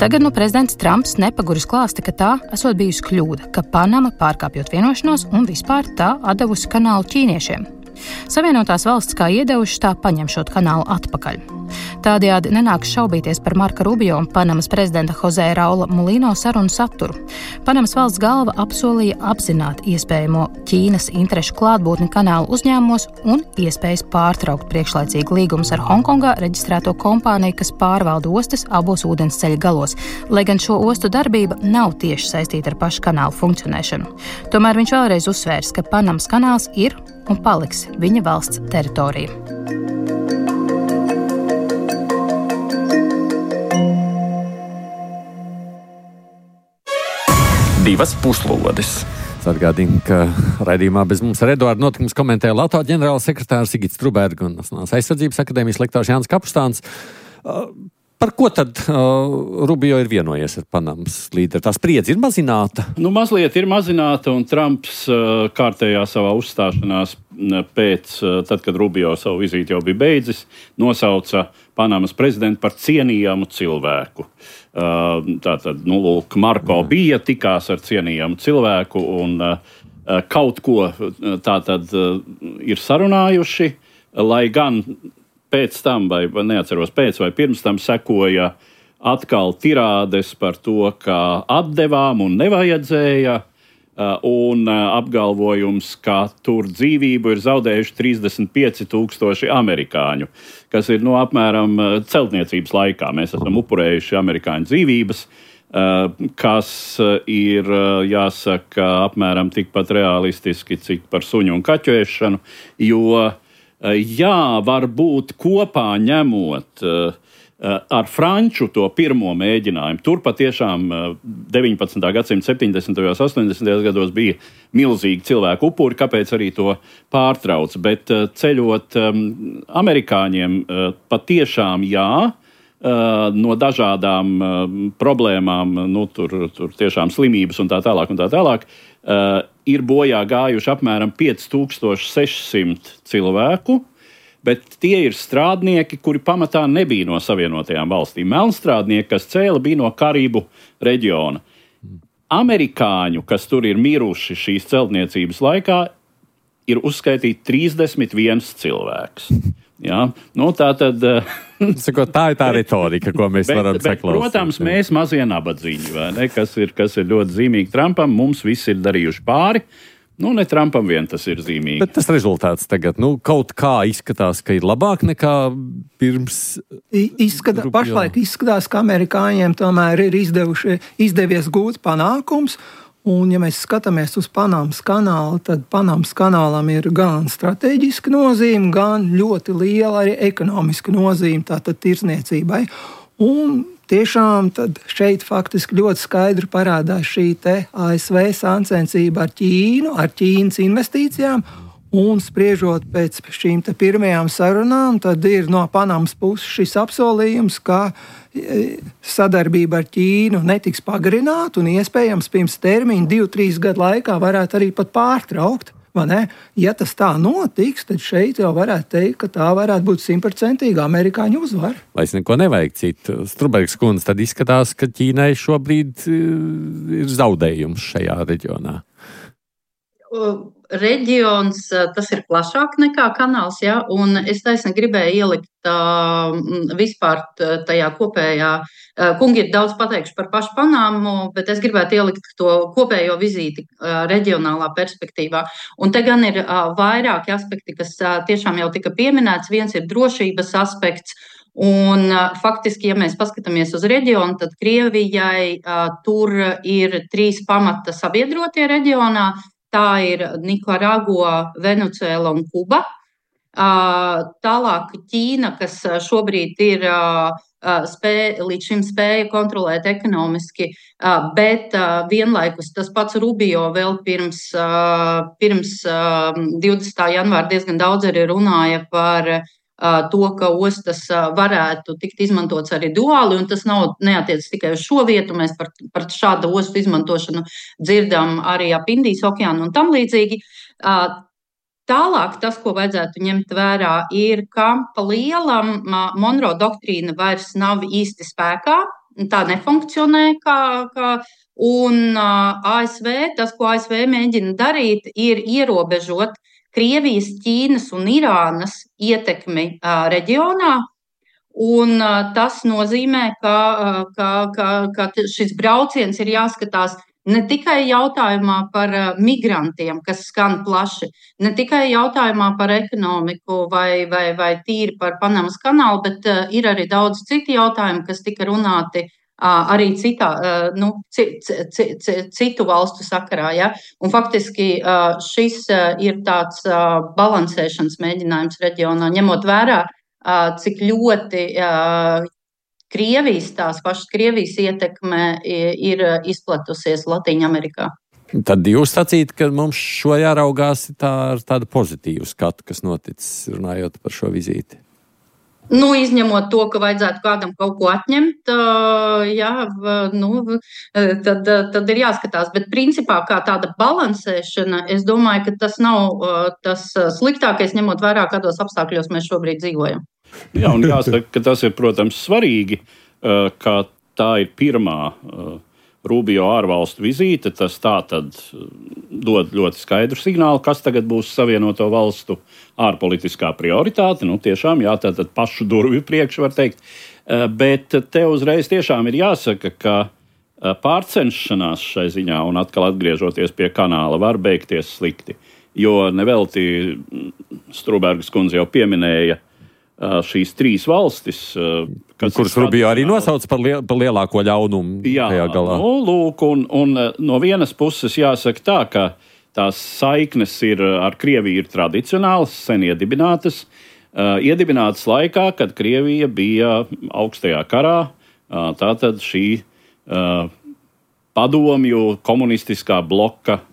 Tagad nu prezidents Trumps nepaguris klāsta, ka tā esot bijusi kļūda, ka Panama pārkāpjot vienošanos un vispār tā atdevusi kanālu ķīniešiem. Savienotās valsts kā iedevuši, tā paņemšot kanālu atpakaļ. Tādējādi nenāks šaubīties par Marka Rubio un Panamas prezidenta Jose Raula Mulino sarunu saturu. Panamas valsts galva apsolīja apzināt iespējamo Ķīnas interešu klātbūtni kanālu uzņēmumos un iespējas pārtraukt priekšlaicīgu līgumus ar Hongkongā reģistrēto kompāniju, kas pārvalda ostas abos ūdensceļa galos, lai gan šo ostu darbība nav tieši saistīta ar pašu kanālu funkcionēšanu. Tomēr viņš vēlreiz uzsvērs, ka Panamas kanāls ir un paliks viņa valsts teritorija. Divas puslodes. Atgādinu, ka raidījumā bez mums ar Eduardu notikums komentēja Latvijas ģenerāla sekretārs Sigits Truberga un Nacionālās aizsardzības akadēmijas lektors Jānis Kapustāns. Par ko tad uh, Rubio ir vienojies ar Panamas līderi? Tā spriedze ir mazināta? Nu, mazliet ir mazināta, un Trumps uh, kārtējā savā uzstāšanās pēc, uh, tad, kad Rubio savu vizīti jau bija beidzis, nosauca Panamas prezidentu par cienījamu cilvēku. Uh, tātad, nu, lūk, Marko Jā. bija, tikās ar cienījamu cilvēku, un uh, kaut ko tātad uh, ir sarunājuši, lai gan pēc tam, vai neatceros pēc vai pirms tam, sekoja atkal tirādes par to, ka atdevām un nevajadzēja, un apgalvojums, ka tur dzīvību ir zaudējuši trīsdesmit pieci tūkstoši amerikāņu, kas ir no apmēram celtniecības laikā. Mēs esam upurējuši amerikāņu dzīvības, kas ir, jāsaka, apmēram tikpat realistiski, cik par suņu un kaķu ēšanu, jo jā, varbūt kopā ņemot ar franču to pirmo mēģinājumu. Tur patiešām deviņpadsmitā gadsimta septiņdesmitajos, astoņdesmitajos gados bija milzīgi cilvēku upuri, kāpēc arī to pārtrauc. Bet ceļot amerikāņiem patiešām jā, no dažādām problēmām, nu, tur, tur tiešām slimības un tā tālāk un tā tālāk, Uh, ir bojā gājuši apmēram pieci tūkstoši sešsimt cilvēku, bet tie ir strādnieki, kuri pamatā nebija no Savienotajām valstīm. Melnstrādnieki, kas cēla, bija no Karību reģiona. Amerikāņu, kas tur ir miruši šīs celtniecības laikā, ir uzskaitīti trīsdesmit viens cilvēks. Jā, nu tā tad... Sakot, tā ir tā retorika, ko mēs bet, varam saklausīt. Protams, mēs mazie nabadzīņi, vai ne, kas ir, kas ir ļoti zīmīgi Trumpam, mums visi ir darījuši pāri, nu ne Trumpam vien tas ir zīmīgi. Bet tas rezultāts tagad, nu kaut kā izskatās, ka ir labāk nekā pirms... Izskatā, pašlaik izskatās, ka amerikāņiem tomēr ir izdevuši, izdevies gūt panākums. Un, ja mēs skatāmies uz Panamas kanālu, tad Panamas kanālam ir gan strateģiska nozīme, gan ļoti liela arī ekonomiska nozīme, tātad tirzniecībai. Un tiešām tad šeit faktiski ļoti skaidri parādās šī te A S V sāncensība ar Ķīnu, ar Ķīnas investīcijām. Un spriežot pēc šīm te pirmajām sarunām, tad ir no Panamas puses šis apsolījums, ka sadarbība ar Ķīnu netiks pagarināta un iespējams pirms termiņa divu, trīs gadu laikā varētu arī pat pārtraukt. Ja tas tā notiks, tad šeit jau varētu teikt, ka tā varētu būt simtprocentīga amerikāņu uzvara. Lai es neko nevajag citu. Strubergs kundze, tad izskatās, ka Ķīnai šobrīd ir zaudējums šajā reģionā. Reģions, tas ir plašāk nekā kanāls, ja, un es taisni gribēju ielikt uh, vispār tajā kopējā, uh, kungi ir daudz pateikuši par pašu Panamu, bet es gribētu ielikt to kopējo vizīti uh, reģionālā perspektīvā. Un te gan ir uh, vairāki aspekti, kas uh, tiešām jau tika pieminēts. Viens ir drošības aspekts, un uh, faktiski, ja mēs paskatāmies uz reģionu, tad Krievijai uh, tur ir trīs pamata sabiedrotie reģionā. Tā ir Nikaragua, Venecuēla un Kuba. Tālāk Ķīna, kas šobrīd ir spēja, līdz šim spēja kontrolēt ekonomiski, bet vienlaikus tas pats Rubio vēl pirms, pirms divdesmitā janvāra diezgan daudz arī runāja par to, ka ostas varētu tikt izmantots arī duāli, un tas nav neatiec tikai uz šo vietu. Mēs par, par šādu ostu izmantošanu dzirdam arī ap Indijas okeānu un tam līdzīgi. Tālāk tas, ko vajadzētu ņemt vērā, ir, ka pa lielam Monroe doktrīna vairs nav īsti spēkā, tā nefunkcionē kā, kā un A S V, tas, ko A S V mēģina darīt, ir ierobežot Krievijas, Ķīnas un Irānas ietekmi reģionā. Un tas nozīmē, ka, ka, ka, ka šis brauciens ir jāskatās ne tikai jautājumā par migrantiem, kas skan plaši, ne tikai jautājumā par ekonomiku vai, vai, vai tīri par Panamas kanālu, bet ir arī daudz citu jautājumu, kas tika runāti arī citā, nu, c, c, c, citu valstu sakarā. Ja? Un faktiski šis ir tāds balansēšanas mēģinājums reģionā, ņemot vērā, cik ļoti Krievijas, tās pašas Krievijas ietekme ir izplatusies Latīņamerikā. Tad jūs sacīt, ka mums šo jāraugās tā, ar tādu pozitīvu skatu, kas noticis, runājot par šo vizīti. Nu, izņemot to, ka vajadzētu kādam kaut ko atņemt, jā, nu, tad, tad ir jāskatās. Bet principā kā tāda balansēšana, es domāju, ka tas nav tas sliktākais, ņemot vērā, kādos apstākļos mēs šobrīd dzīvojam. Jā, un jāsaka, ka tas ir, protams, svarīgi, ka tā ir pirmā Rubio ārvalstu vizīte. Tas tā tad dod ļoti skaidru signālu, kas tagad būs Savienoto valstu ārpolitiskā prioritāte. Nu, tiešām, jā, tātad pašu durvju priekš var teikt. Bet te uzreiz tiešām ir jāsaka, ka pārcenšanās šai ziņā un atkal atgriežoties pie kanāla var beigties slikti. Jo nevelti Strūbergas kundze jau pieminēja šīs trīs valstis, kuras Rubio arī nosauc par, liel, par lielāko ļaunumu. Jā, nu, lūk, un, un no vienas puses jāsaka tā, ka tās saiknes ir ar Krieviju ir tradicionālas, sen iedibinātas, uh, iedibinātas laikā, kad Krievija bija augstajā karā, uh, tātad šī uh, padomju komunistiskā bloka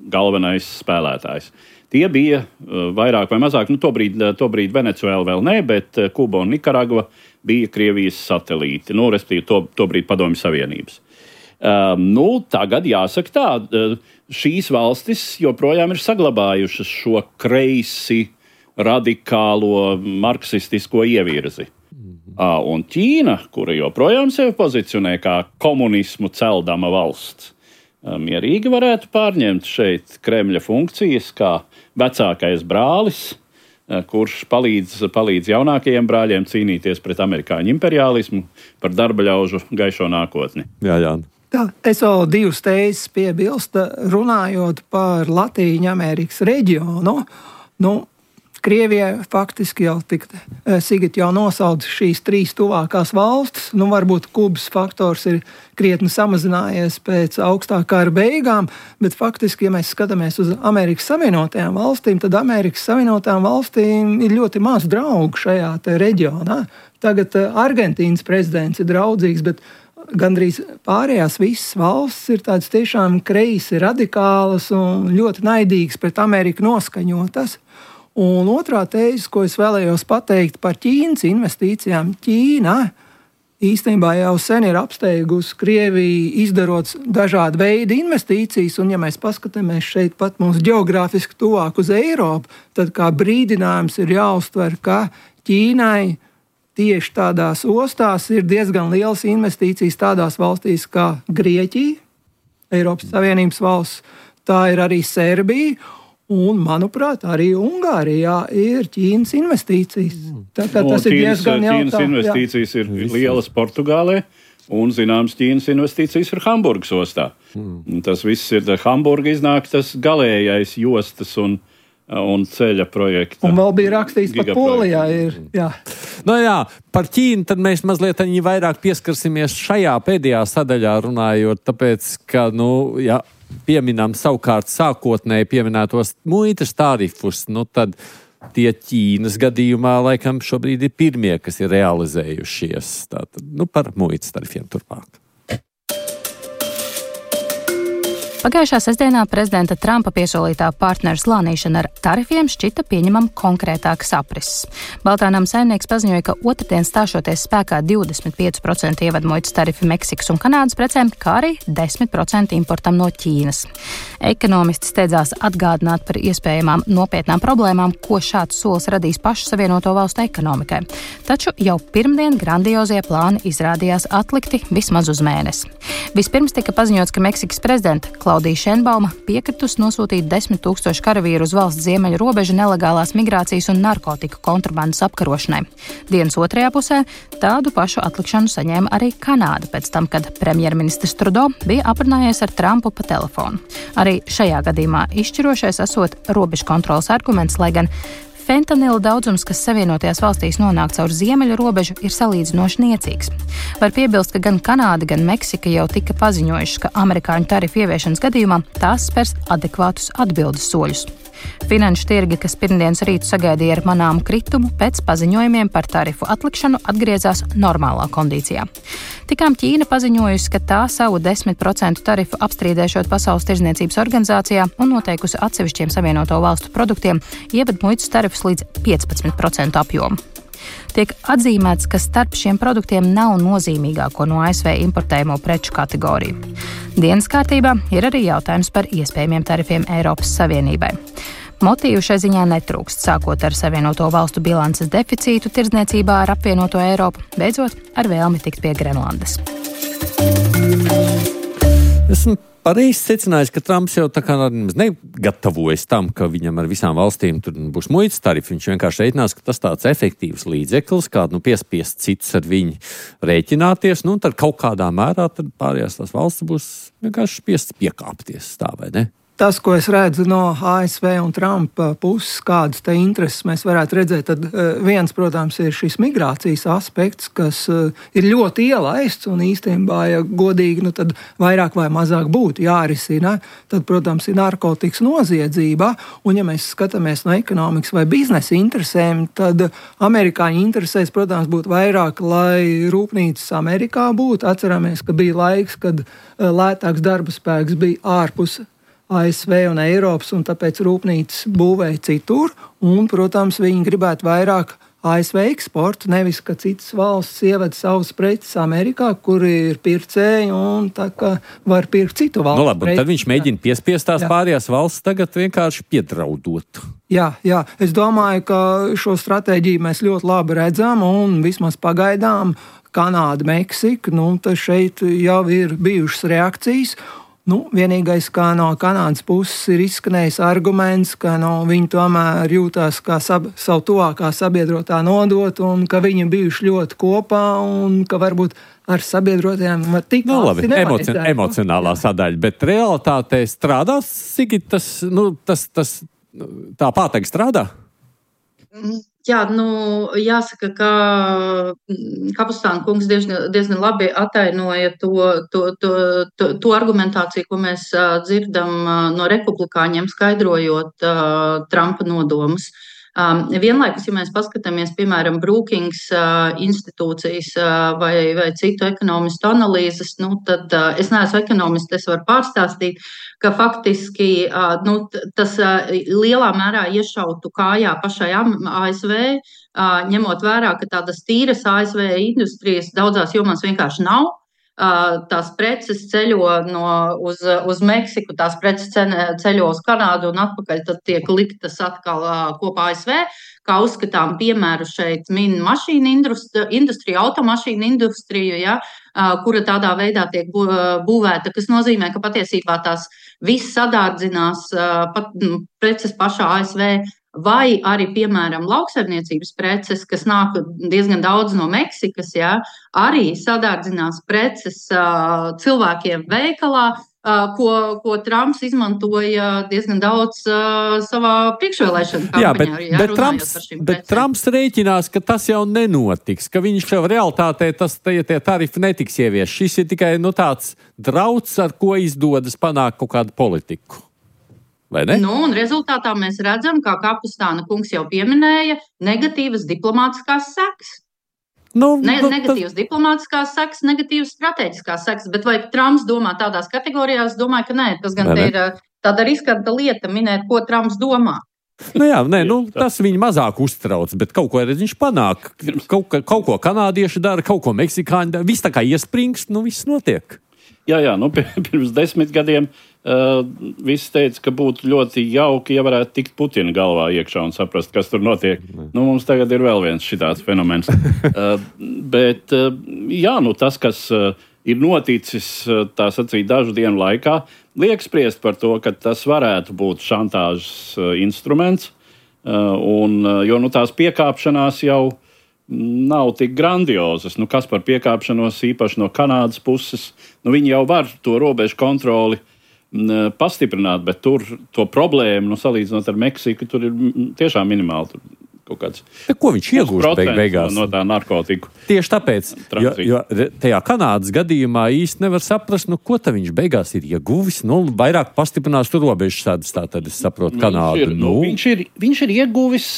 galvenais spēlētājs. Tie bija uh, vairāk vai mazāk, nu tobrīd, tobrīd Venecuēla vēl ne, bet Kuba un Nikaragva bija Krievijas satelīti, nu, respektīvi to, tobrīd Padomju Savienības. Uh, nu, tagad jāsaka tā, uh, šīs valstis joprojām ir saglabājušas šo kreisi, radikālo, marksistisko ievirzi. Uh, un Ķīna, kura joprojām sevi pozicionē kā komunismu celdama valsts, uh, mierīgi varētu pārņemt šeit Kremļa funkcijas kā vecākais brālis, uh, kurš palīdz, palīdz jaunākajiem brāļiem cīnīties pret amerikāņu imperiālismu par darba ļaužu gaišo nākotni. Jā, jā. Tā, es vēl divas tēzes piebilstu, runājot par Latīņamerikas reģionu. Nu, Krievijai faktiski jau tik, Sigit jau nosauca šīs trīs tuvākās valstis. Nu, varbūt Kubas faktors ir krietni samazinājies pēc augstā kara beigām, bet faktiski, ja mēs skatāmies uz Amerikas Savienotajām valstīm, tad Amerikas Savienotajām valstīm ir ļoti maz draugu šajā te reģionā. Tagad Argentīnas prezidents ir draudzīgs, bet gandrīz pārējās visas valstis ir tādas tiešām kreisi, radikālas un ļoti naidīgas pret Ameriku noskaņotas. Un otrā tēze, ko es vēlējos pateikt par Ķīnas investīcijām. Ķīna īstenībā jau sen ir apsteigusi Krieviju, izdarot dažādu veidu investīcijas, un ja mēs paskatāmies šeit pat mums geogrāfiski tuvāk uz Eiropu, tad kā brīdinājums ir jāuztver, ka Ķīnai tieši tādās ostās ir diezgan lielas investīcijas tādās valstīs kā Grieķija, Eiropas Savienības valsts, tā ir arī Serbija, un, manuprāt, arī Ungārijā ir Ķīnas investīcijas. Tā kā tas no, ir diezgan jautā. Ķīnas investīcijas jā. ir lielas Portugālē, un, zināms, Ķīnas investīcijas ir Hamburgas ostā. Mm. Tas viss ir, Hamburga iznāk tas galējais jostas un un ceļa projekta. Un vēl bija rakstīts par Polijā. Ir, jā. No jā, par Ķīnu tad mēs mazliet vairāk pieskarsimies šajā pēdējā sadaļā runājot, tāpēc, ka, nu, ja pieminam savukārt sākotnēji pieminētos muitas tarifus, nu tad tie Ķīnas gadījumā laikam šobrīd ir pirmie, kas ir realizējušies. Tātad, nu, par muitas tarifiem turpāk. Pagājušā sestdienā prezidenta Trumpa piesolītā partneru slānīšana ar tarifiem šķita pieņemam konkrētāks aprises. Baltā nama saimnieks paziņoja, ka otrdien stāšoties spēkā divdesmit pieci procenti ievadmuitas tarifi Meksikas un Kanādas precēm, kā arī desmit procenti importam no Ķīnas. Ekonomisti steidzās atgādināt par iespējamām nopietnām problēmām, ko šāds solis radīs pašu Savienoto valstu ekonomikai. Taču jau pirmdien grandiozie plāni izrādījās atlikti vismaz uz mēnesi. Vispirms tika paziņots, ka Meksikas prezidenta Klaudija Šenbauma piekritus nosūtīt desmit tūkstoši karavīru uz valsts ziemeļu robežu nelegālās migrācijas un narkotiku kontrabandas apkarošanai. Dienas otrajā pusē tādu pašu atlikšanu saņēma arī Kanāda pēc tam, kad premjerministrs Trudeau bija aprunājies ar Trumpu pa telefonu. Arī šajā gadījumā izšķirošais esot robežu kontrolas arguments, lai gan fentanila daudzums, kas Savienotajās valstīs nonāk caur ziemeļu robežu, ir salīdzinoši niecīgs. Var piebilst, ka gan Kanāda, gan Meksika jau tika paziņojušas, ka amerikāņu tarifu ieviešanas gadījumā tās spers adekvātus atbildes soļus. Finanšu tirgi, kas pirmdienas rītu sagaidīja ar manāmu kritumu, pēc paziņojumiem par tarifu atlikšanu atgriezās normālā kondīcijā. Tikām Ķīna paziņojusi, ka tā savu desmit procentu tarifu apstrīdēšot Pasaules tirdzniecības organizācijā un noteikusi atsevišķiem Savienoto valstu produktiem ievad muitas tarifus līdz piecpadsmit procentu apjomu. Tiek atzīmēts, ka starp šiem produktiem nav nozīmīgāko no A S V importējamo preču kategoriju. Dienas kārtībā ir arī jautājums par iespējamiem tarifiem Eiropas Savienībai. Motīvu šai ziņā netrūkst, sākot ar Savienoto valstu bilances deficītu tirdzniecībā ar apvienoto Eiropu, beidzot ar vēlmi tikt pie Grenlandes. Esmu pareizi secinājis, ka Trumps jau tā kā negatavojas tam, ka viņam ar visām valstīm tur būs muitas tarifi. Viņš vienkārši reiķinās, ka tas tāds efektīvs līdzeklis, kādu nu piespiest citus ar viņu rēķināties, nu un tad kaut kādā mērā tad pārējās tās valsts būs vienkārši spiests piekāpties, tā vai ne? Tas, ko es redzu no A S V un Trumpa puses, kādas te intereses mēs varētu redzēt, tad viens, protams, ir šis migrācijas aspekts, kas ir ļoti ielaists un īstenībā, ja godīgi, nu tad vairāk vai mazāk būtu jārisina. Tad, protams, ir narkotikas noziedzība, un ja mēs skatāmies no ekonomikas vai biznesa interesēm, tad amerikāņu interesēs, protams, būtu vairāk, lai rūpnīcas Amerikā būtu. Atceramies, ka bija laiks, kad lētāks darba spēks bija ārpus A S V un Eiropas, un tāpēc rūpnīcas būvēja citur, un, protams, viņi gribētu vairāk A S V eksportu, nevis, ka citas valsts ievada savus preces Amerikā, kur ir pircēji, un tā kā var pirkt citu valstu. Nu labi, tad viņš mēģina piespiest tās jā. Pārējās valsts tagad vienkārši piedraudot. Jā, jā, es domāju, ka šo stratēģiju mēs ļoti labi redzam, un vismaz pagaidām Kanāda, Meksika, nu, tad šeit jau ir bijušas reakcijas. Nu, vienīgais, kā no Kanādas puses ir izskanējis arguments, ka no, viņi tomēr jūtās kā sab, savu tuvākā sabiedrotā nodot, un ka viņi bijuši ļoti kopā, un ka varbūt ar sabiedrotajiem var tikt. Nu, labi, emoci emocionālā sadaļa, bet realitātē strādās, Sigit, tas, nu, tas, tas tā pātegi strādā? Jā, nu, jāsaka, ka Kapustāna kungs diezgan, diezgan labi atainoja to, to, to, to, to argumentāciju, ko mēs uh, dzirdam uh, no republikāņiem, skaidrojot uh, Trumpa nodomus. Um, vienlaikus, ja mēs paskatāmies, piemēram, Brookings uh, institūcijas uh, vai, vai citu ekonomistu analīzes, nu, tad uh, es neesmu ekonomists, es varu pārstāstīt, ka faktiski uh, nu, tas uh, lielā mērā iešautu kājā pašai A S V, uh, ņemot vērā, ka tādas tīras A S V industrijas daudzās jomās vienkārši nav. Tās preces ceļo no, uz, uz Meksiku, tās preces ceļo uz Kanādu un atpakaļ tad tiek liktas atkal kopā A S V. Kā uzskatām piemēru šeit min mašīnu industriju, automašīnu industriju, ja, kura tādā veidā tiek būvēta, kas nozīmē, ka patiesībā tās viss sadārdzinās pat, preces pašā A S V. Vai arī, piemēram, lauksaimniecības preces, kas nāk diezgan daudz no Meksikas, jā, arī sadārdzinās preces uh, cilvēkiem veikalā, uh, ko, ko Trumps izmantoja diezgan daudz uh, savā priekšvēlēšana kampaņā. Jā, bet, jā, bet, Trumps, bet Trumps rēķinās, ka tas jau nenotiks, ka viņš jau realitātē tas, tie, tie tarifi netiks ievies. Šis ir tikai nu, tāds drauds, ar ko izdodas panākt kaut kādu politiku. Nu, un rezultātā mēs redzam, kā Kapustāna kungs jau pieminēja, negatīvas diplomātiskās sekas. Nu, ne, nu, negatīvas tas... diplomātiskās sekas, negatīvas strateģiskās sekas, bet vai Trumps domā tādās kategorijās? Es domāju, ka nē, tas gan te ir tāda riskanta lieta minēt, ko Trumps domā. Nu jā, nē, nu, tas viņu mazāk uztrauc, bet kaut ko arī viņš panāk. Kaut, kaut ko kanādieši dara, kaut ko meksikāņi dara. Viss tā kā iespringst, nu viss notiek. Jā, jā, nu pirms desmit gadiem uh, viss teica, ka būtu ļoti jauki, ja varētu tikt Putina galvā iekšā un saprast, kas tur notiek. Nu, mums tagad ir vēl viens šitāds fenomens. uh, bet, uh, jā, nu tas, kas uh, ir noticis, uh, tā sacīt, dažu dienu laikā, liek spriest par to, ka tas varētu būt šantāžas uh, instruments, uh, un, uh, jo nu tās piekāpšanās jau nav tik grandiozas. Nu, kas par piekāpšanos īpaši no Kanādas puses, nu, viņi jau var to robežu kontroli m, pastiprināt, bet tur to problēmu, nu, salīdzinot ar Meksiku, tur ir m, tiešām minimāli. Tur kaut kāds. Bet ko viņš iegūst beig beigās? No tā narkotiku. Tieši tāpēc, jo, jo tajā Kanādas gadījumā īsti nevar saprast, nu, ko tad viņš beigās ir ieguvis. Nu, vairāk pastiprinās tur robežu sādas, tā tad es saprotu Kanādu. Viņš ir, nu, viņš ir, viņš ir ieguvis...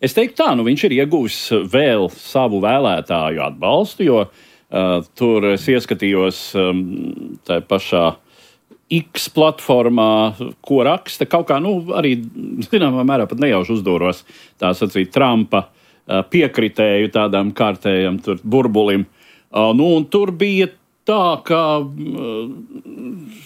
Es teiktu tā, nu viņš ir ieguvis vēl savu vēlētāju atbalstu, jo uh, tur es ieskatījos um, tā pašā X platformā, ko raksta kaut kā, nu arī, zināmā mērā pat nejauši uzdūros, tā sacīt, Trumpa uh, piekritēju tādām kārtējam tur burbulim. Uh, nu un tur bija tā, ka uh,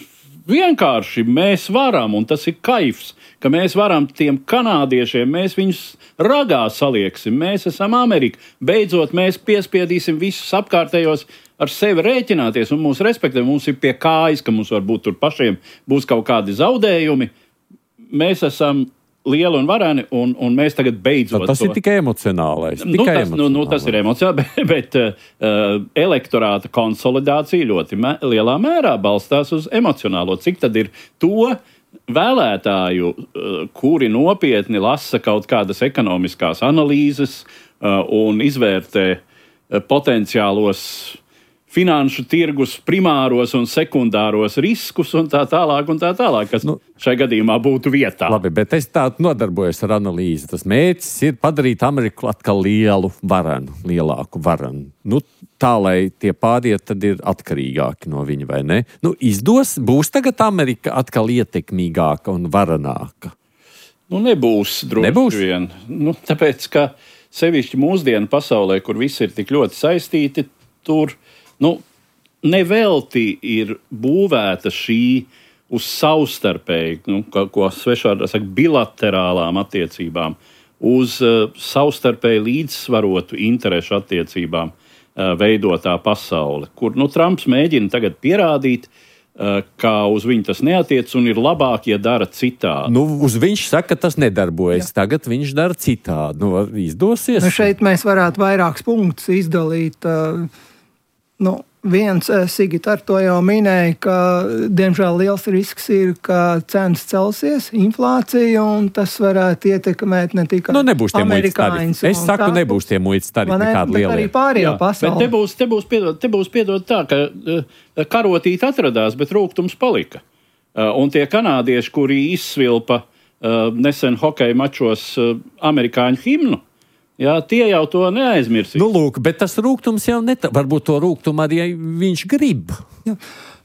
vienkārši mēs varam, un tas ir kaifs, ka mēs varam tiem kanādiešiem, mēs viņus ragā salieksim, mēs esam Amerika. Beidzot, mēs piespiedīsim visus apkārtējos ar sevi rēķināties un mūs respektē. Mums ir pie kājas, ka mums varbūt tur pašiem būs kaut kādi zaudējumi. Mēs esam lieli un vareni, un, un mēs tagad beidzot... No, tas to... ir tikai emocionālais. Nu, tikai tas, emocionālais. Nu, nu, tas ir emocionāli, bet, bet uh, elektorāta konsolidācija ļoti mē, lielā mērā balstās uz emocionālo. Cik tad ir to vēlētāju, kuri nopietni lasa kaut kādas ekonomiskās analīzes un izvērtē potenciālos finanšu tirgus primāros un sekundāros riskus un tā tālāk, un tā tālāk, kas nu, šai gadījumā būtu vietā. Labi, bet es tā nodarbojos ar analīzi. Tas mērķis ir padarīt Ameriku atkal lielu varenu, lielāku varenu. Nu, tā, lai tie pārējie tad ir atkarīgāki no viņa, vai ne? Nu, izdos, būs tagad Amerika atkal ietekmīgāka un varenāka? Nu, nebūs droši nebūs? vien. Nu, tāpēc, ka sevišķi mūsdienu pasaulē, kur viss ir tik ļoti saistīti, tur nu, nevelti ir būvēta šī uz savstarpēji, nu, ko, ko svešvārdā saka, bilaterālām attiecībām, uz uh, savstarpēji līdzsvarotu interešu attiecībām uh, veidotā pasaule, kur nu, Trumps mēģina tagad pierādīt, uh, ka uz viņu tas neatiec un ir labāk, ja dara citādi. Nu, uz viņš saka, ka tas nedarbojas. Jā. Tagad viņš dara citādi. Nu, izdosies? Nu, šeit mēs varētu vairākus punktus izdalīt. Uh, Nu, viens, Sigita ar to jau minēja, ka diemžēl liels risks ir, ka cenas celsies, inflācija, un tas varētu ietekmēt ne tikai nu, nebūs tie amerikāņus. Es saku, nebūs tie muitas tarifi nekādi lielie. Arī pārējā pasaulē. Bet te būs, te būs, piedod, te būs piedod tā, ka uh, karotīt atradās, bet rūgtums palika. Uh, un tie kanādieši, kuri izsvilpa uh, nesen hokeja mačos uh, amerikāņu himnu, jā, tie jau to neaizmirsīs. Nu, lūk, bet tas rūgtums jau net... Varbūt to rūgtumu arī viņš grib. Jā.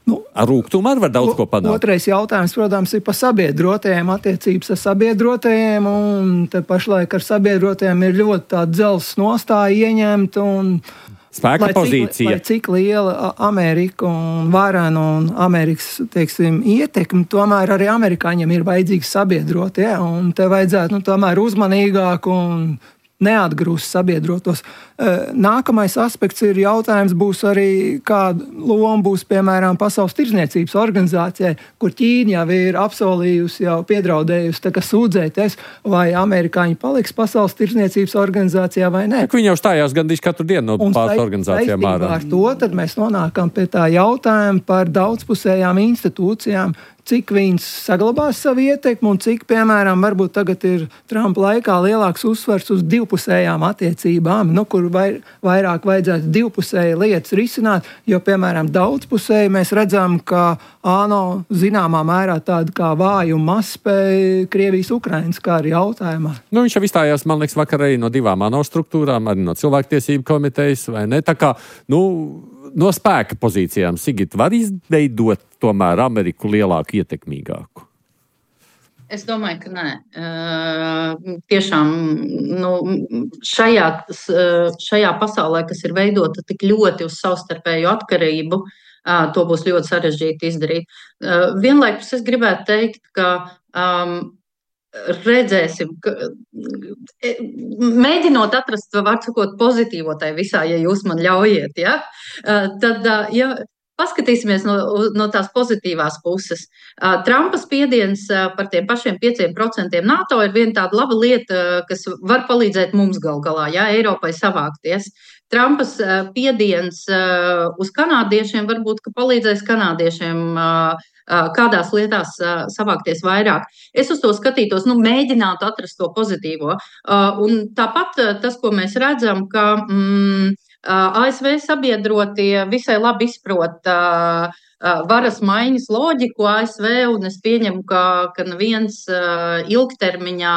Nu, ar rūgtumu arī var daudz o, ko panākt. Otrais jautājums, protams, ir par sabiedrotajiem, attiecības ar sabiedrotajiem, un te pašlaik ar sabiedrotajiem ir ļoti tāda dzelzs nostāja ieņemta, un spēka lai pozīcija. Cik, lai cik liela Amerika un varena un Amerikas, teiksim, ietekme, tomēr arī amerikāņiem ir vajadzīgi sabiedrotie, un te vajadzētu, nu, tomēr uzmanīgāk un neatgrūst sabiedrotos. Nākamais aspekts ir jautājums būs arī, kāda loma būs, piemēram, Pasaules tirdzniecības organizācijai, kur Ķīna jau ir apsolījusi, jau piedraudējusi, tā kā sūdzēties, vai amerikāņi paliks Pasaules tirdzniecības organizācijā vai nē. Viņi jau stājās gandrīz katru dienu no pāris organizācijām ārā. Ar to tad mēs nonākam pie tā jautājuma par daudzpusējām institūcijām. cik viņš saglabās savu ietekmi un cik, piemēram, varbūt tagad ir Trumpa laikā lielāks uzsvars uz divpusējām attiecībām, nu, kur vai, vairāk vajadzētu divpusēji lietas risināt, jo, piemēram, daudzpusēji mēs redzam, ka ANO zināmā mērā tāda kā vāju mazspēja Krievijas-Ukrainas kā arī jautājumā. Nu, viņš jau izstājās, man liekas, vakar arī no divām ANO struktūrām, arī no cilvēktiesību komitejas, vai ne? Tā kā, nu, no spēka pozīcijām Sigita var izveidot tomēr Ameriku lielāku, ietekmīgāku? Es domāju, ka nē. Uh, tiešām nu, šajā, šajā pasaulē, kas ir veidota tik ļoti uz savstarpēju atkarību, uh, to būs ļoti sarežģīti izdarīt. Uh, vienlaikus es gribētu teikt, ka um, redzēsim, ka, mēģinot atrast, var sakot, pozitīvo tai visā, ja jūs man ļaujiet, ja? Tad, ja paskatīsimies no, no tās pozitīvās puses. Trumpa spiediens par tiem pašiem pieciem procentiem NATO ir viena tāda laba lieta, kas var palīdzēt mums gal galā, ja, Eiropai savākties. Trumpas spiediens uz kanādiešiem varbūt, ka palīdzēs kanādiešiem kādās lietās savākties vairāk. Es uz to skatītos, nu, mēģinātu atrast to pozitīvo. Un tāpat tas, ko mēs redzam, ka mm, A S V sabiedrotie visai labi izprot varas maiņas loģiku A S V, un es pieņemu, ka, ka neviens ilgtermiņā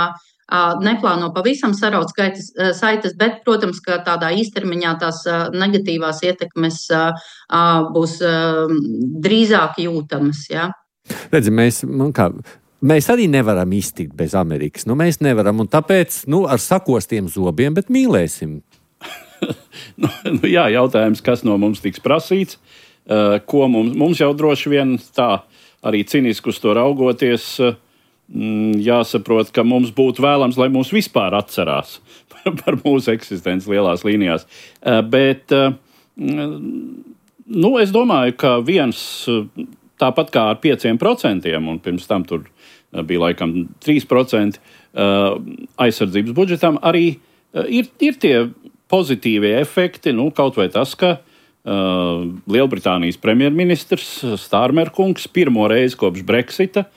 neplāno pavisam saraut skaitas, saites, bet, protams, ka tādā īstermiņā tās negatīvās ietekmes būs drīzāk jūtamas. Ja? Redzi, mēs, nu kā, mēs arī nevaram iztikt bez Amerikas. Nu, mēs nevaram, un tāpēc nu, ar sakostiem zobiem, bet mīlēsim. nu, nu, jā, jautājums, kas no mums tiks prasīts, uh, ko mums, mums jau droši vien tā arī ciniski uz to raugoties, uh, jāsaprot, ka mums būtu vēlams, lai mūs vispār atcerās par mūsu eksistenci lielās līnijās. Uh, bet uh, nu, es domāju, ka viens, tāpat kā ar pieciem procentiem, un pirms tam tur bija laikam trīs procenti uh, aizsardzības budžetam, arī uh, ir, ir tie pozitīvie efekti, nu, kaut vai tas, ka uh, Lielbritānijas premjerministrs Starmer kungs pirmo reizi kopš Brexita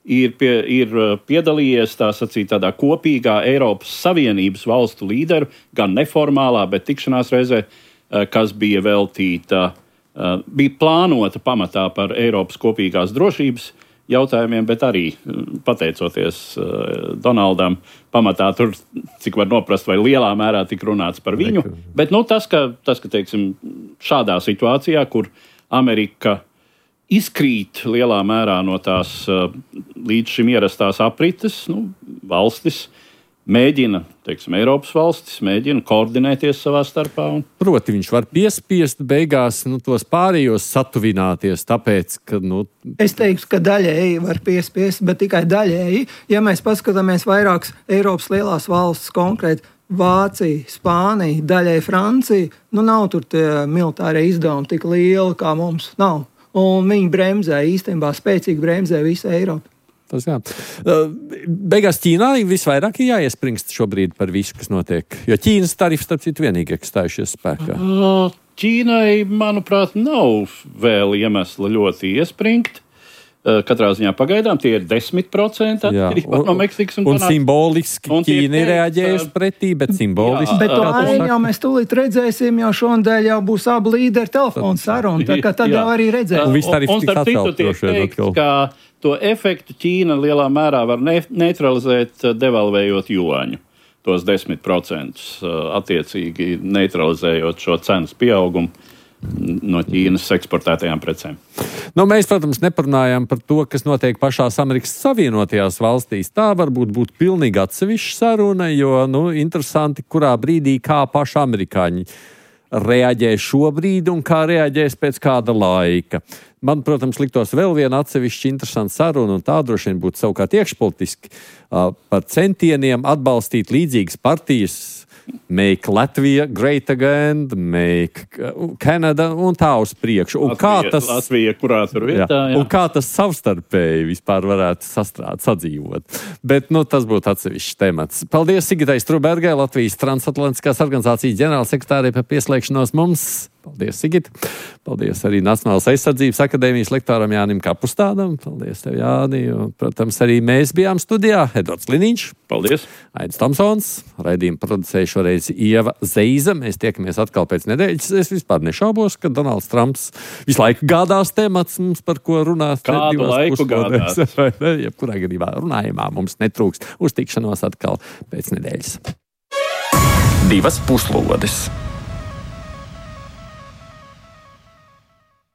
ir, pie, ir piedalījies tā sacīt tādā kopīgā Eiropas Savienības valstu līderu, gan neformālā, bet tikšanās reizē, uh, kas bija veltīta, uh, bija plānota pamatā par Eiropas kopīgās drošības jautājumiem, bet arī pateicoties uh, Donaldam, pamatā tur, cik var noprast, vai lielā mērā tik runāts par viņu. Bet nu, tas, ka, tas, ka teiksim, šādā situācijā, kur Amerika izkrīt lielā mērā no tās uh, līdz šim ierastās aprites, nu, valstis mēģina, teiksim, Eiropas valstis mēģina koordinēties savā starpā. Un... Proti, viņš var piespiest beigās nu, tos pārējos satuvināties, tāpēc, ka... Nu... Es teiktu, ka daļēji var piespiest, bet tikai daļēji. Ja mēs paskatāmies vairākas Eiropas lielās valstis, konkrēti Vācija, Spānija, daļai Francija, nu nav tur tie militārie izdevumi tik lieli, kā mums nav. Un viņi bremzē, īstenībā spēcīgi bremzē visu Eiropu. Tas, jā. Beigās Ķīnā visvairāk ir jāiespringst šobrīd par visu, kas notiek. Jo Ķīnas tarifi, starp citu, vienīgi ir stājušies spēkā. Ķīnai, manuprāt, nav vēl iemesla ļoti iespringt. Katrā ziņā pagaidām tie ir desmit procenti atkarībā no Meksikas un Kanādas. Un simboliski un Ķīna ir reaģējusi pretī, bet simboliski. Bet to arī jau mēs tūlīt redzēsim, jo šonadēļ jau būs abu līderi telefonu saruna, tā kā tad jā. Jau arī redzēsim. Un viss tarifi tiks atcelt droši vien atkal. Ka to efektu Ķīna lielā mērā var ne- neutralizēt, devalvējot juāņu. Tos desmit procentus attiecīgi neutralizējot šo cenas pieaugumu no Ķīnas eksportētajām precēm. Nu, mēs, protams, neparunājām par to, kas notiek pašās Amerikas Savienotajās valstīs. Tā varbūt būtu pilnīgi atsevišķa saruna, jo, nu, interesanti, kurā brīdī kā paši amerikāņi reaģē šobrīd un kā reaģēs pēc kāda laika. Man, protams, liktos vēl viena atsevišķa interesanta saruna, un tā droši vien būtu savukārt iekšpolitiski uh, par centieniem atbalstīt līdzīgas partijas, Make Latvia Great Again, Make Canada un tā uz priekšu. Un Latvija, kā tas, Latvija, kurā tur vietā, jā. Jā, un kā tas savstarpēji vispār varētu sastrāt, sadzīvot. Bet, nu, tas būtu atsevišķs temats. Paldies Sigitai Strubergai, Latvijas Transatlantiskās organizācijas ģenerālsekretārei par pieslēgšanos mums. Paldies, Sigita. Paldies arī Nacionālās aizsardzības akadēmijas lektoram Jānim Kapustādam. Paldies tev, Jāni. Un, protams, arī mēs bijām studijā. Edvards Liniņš. Paldies. Aidis Tomsons. Raidījumu producēja šoreiz Ieva Zeiza. Mēs tiekamies atkal pēc nedēļas. Es vispār nešaubos, ka Donalds Trumps visu laiku gādās temats mums, par ko runās. Kādu laiku gādās? Jebkurā gadījumā runājumā mums netrūks. Uz tikšanos atkal pēc nedēļas. Divas puslodes.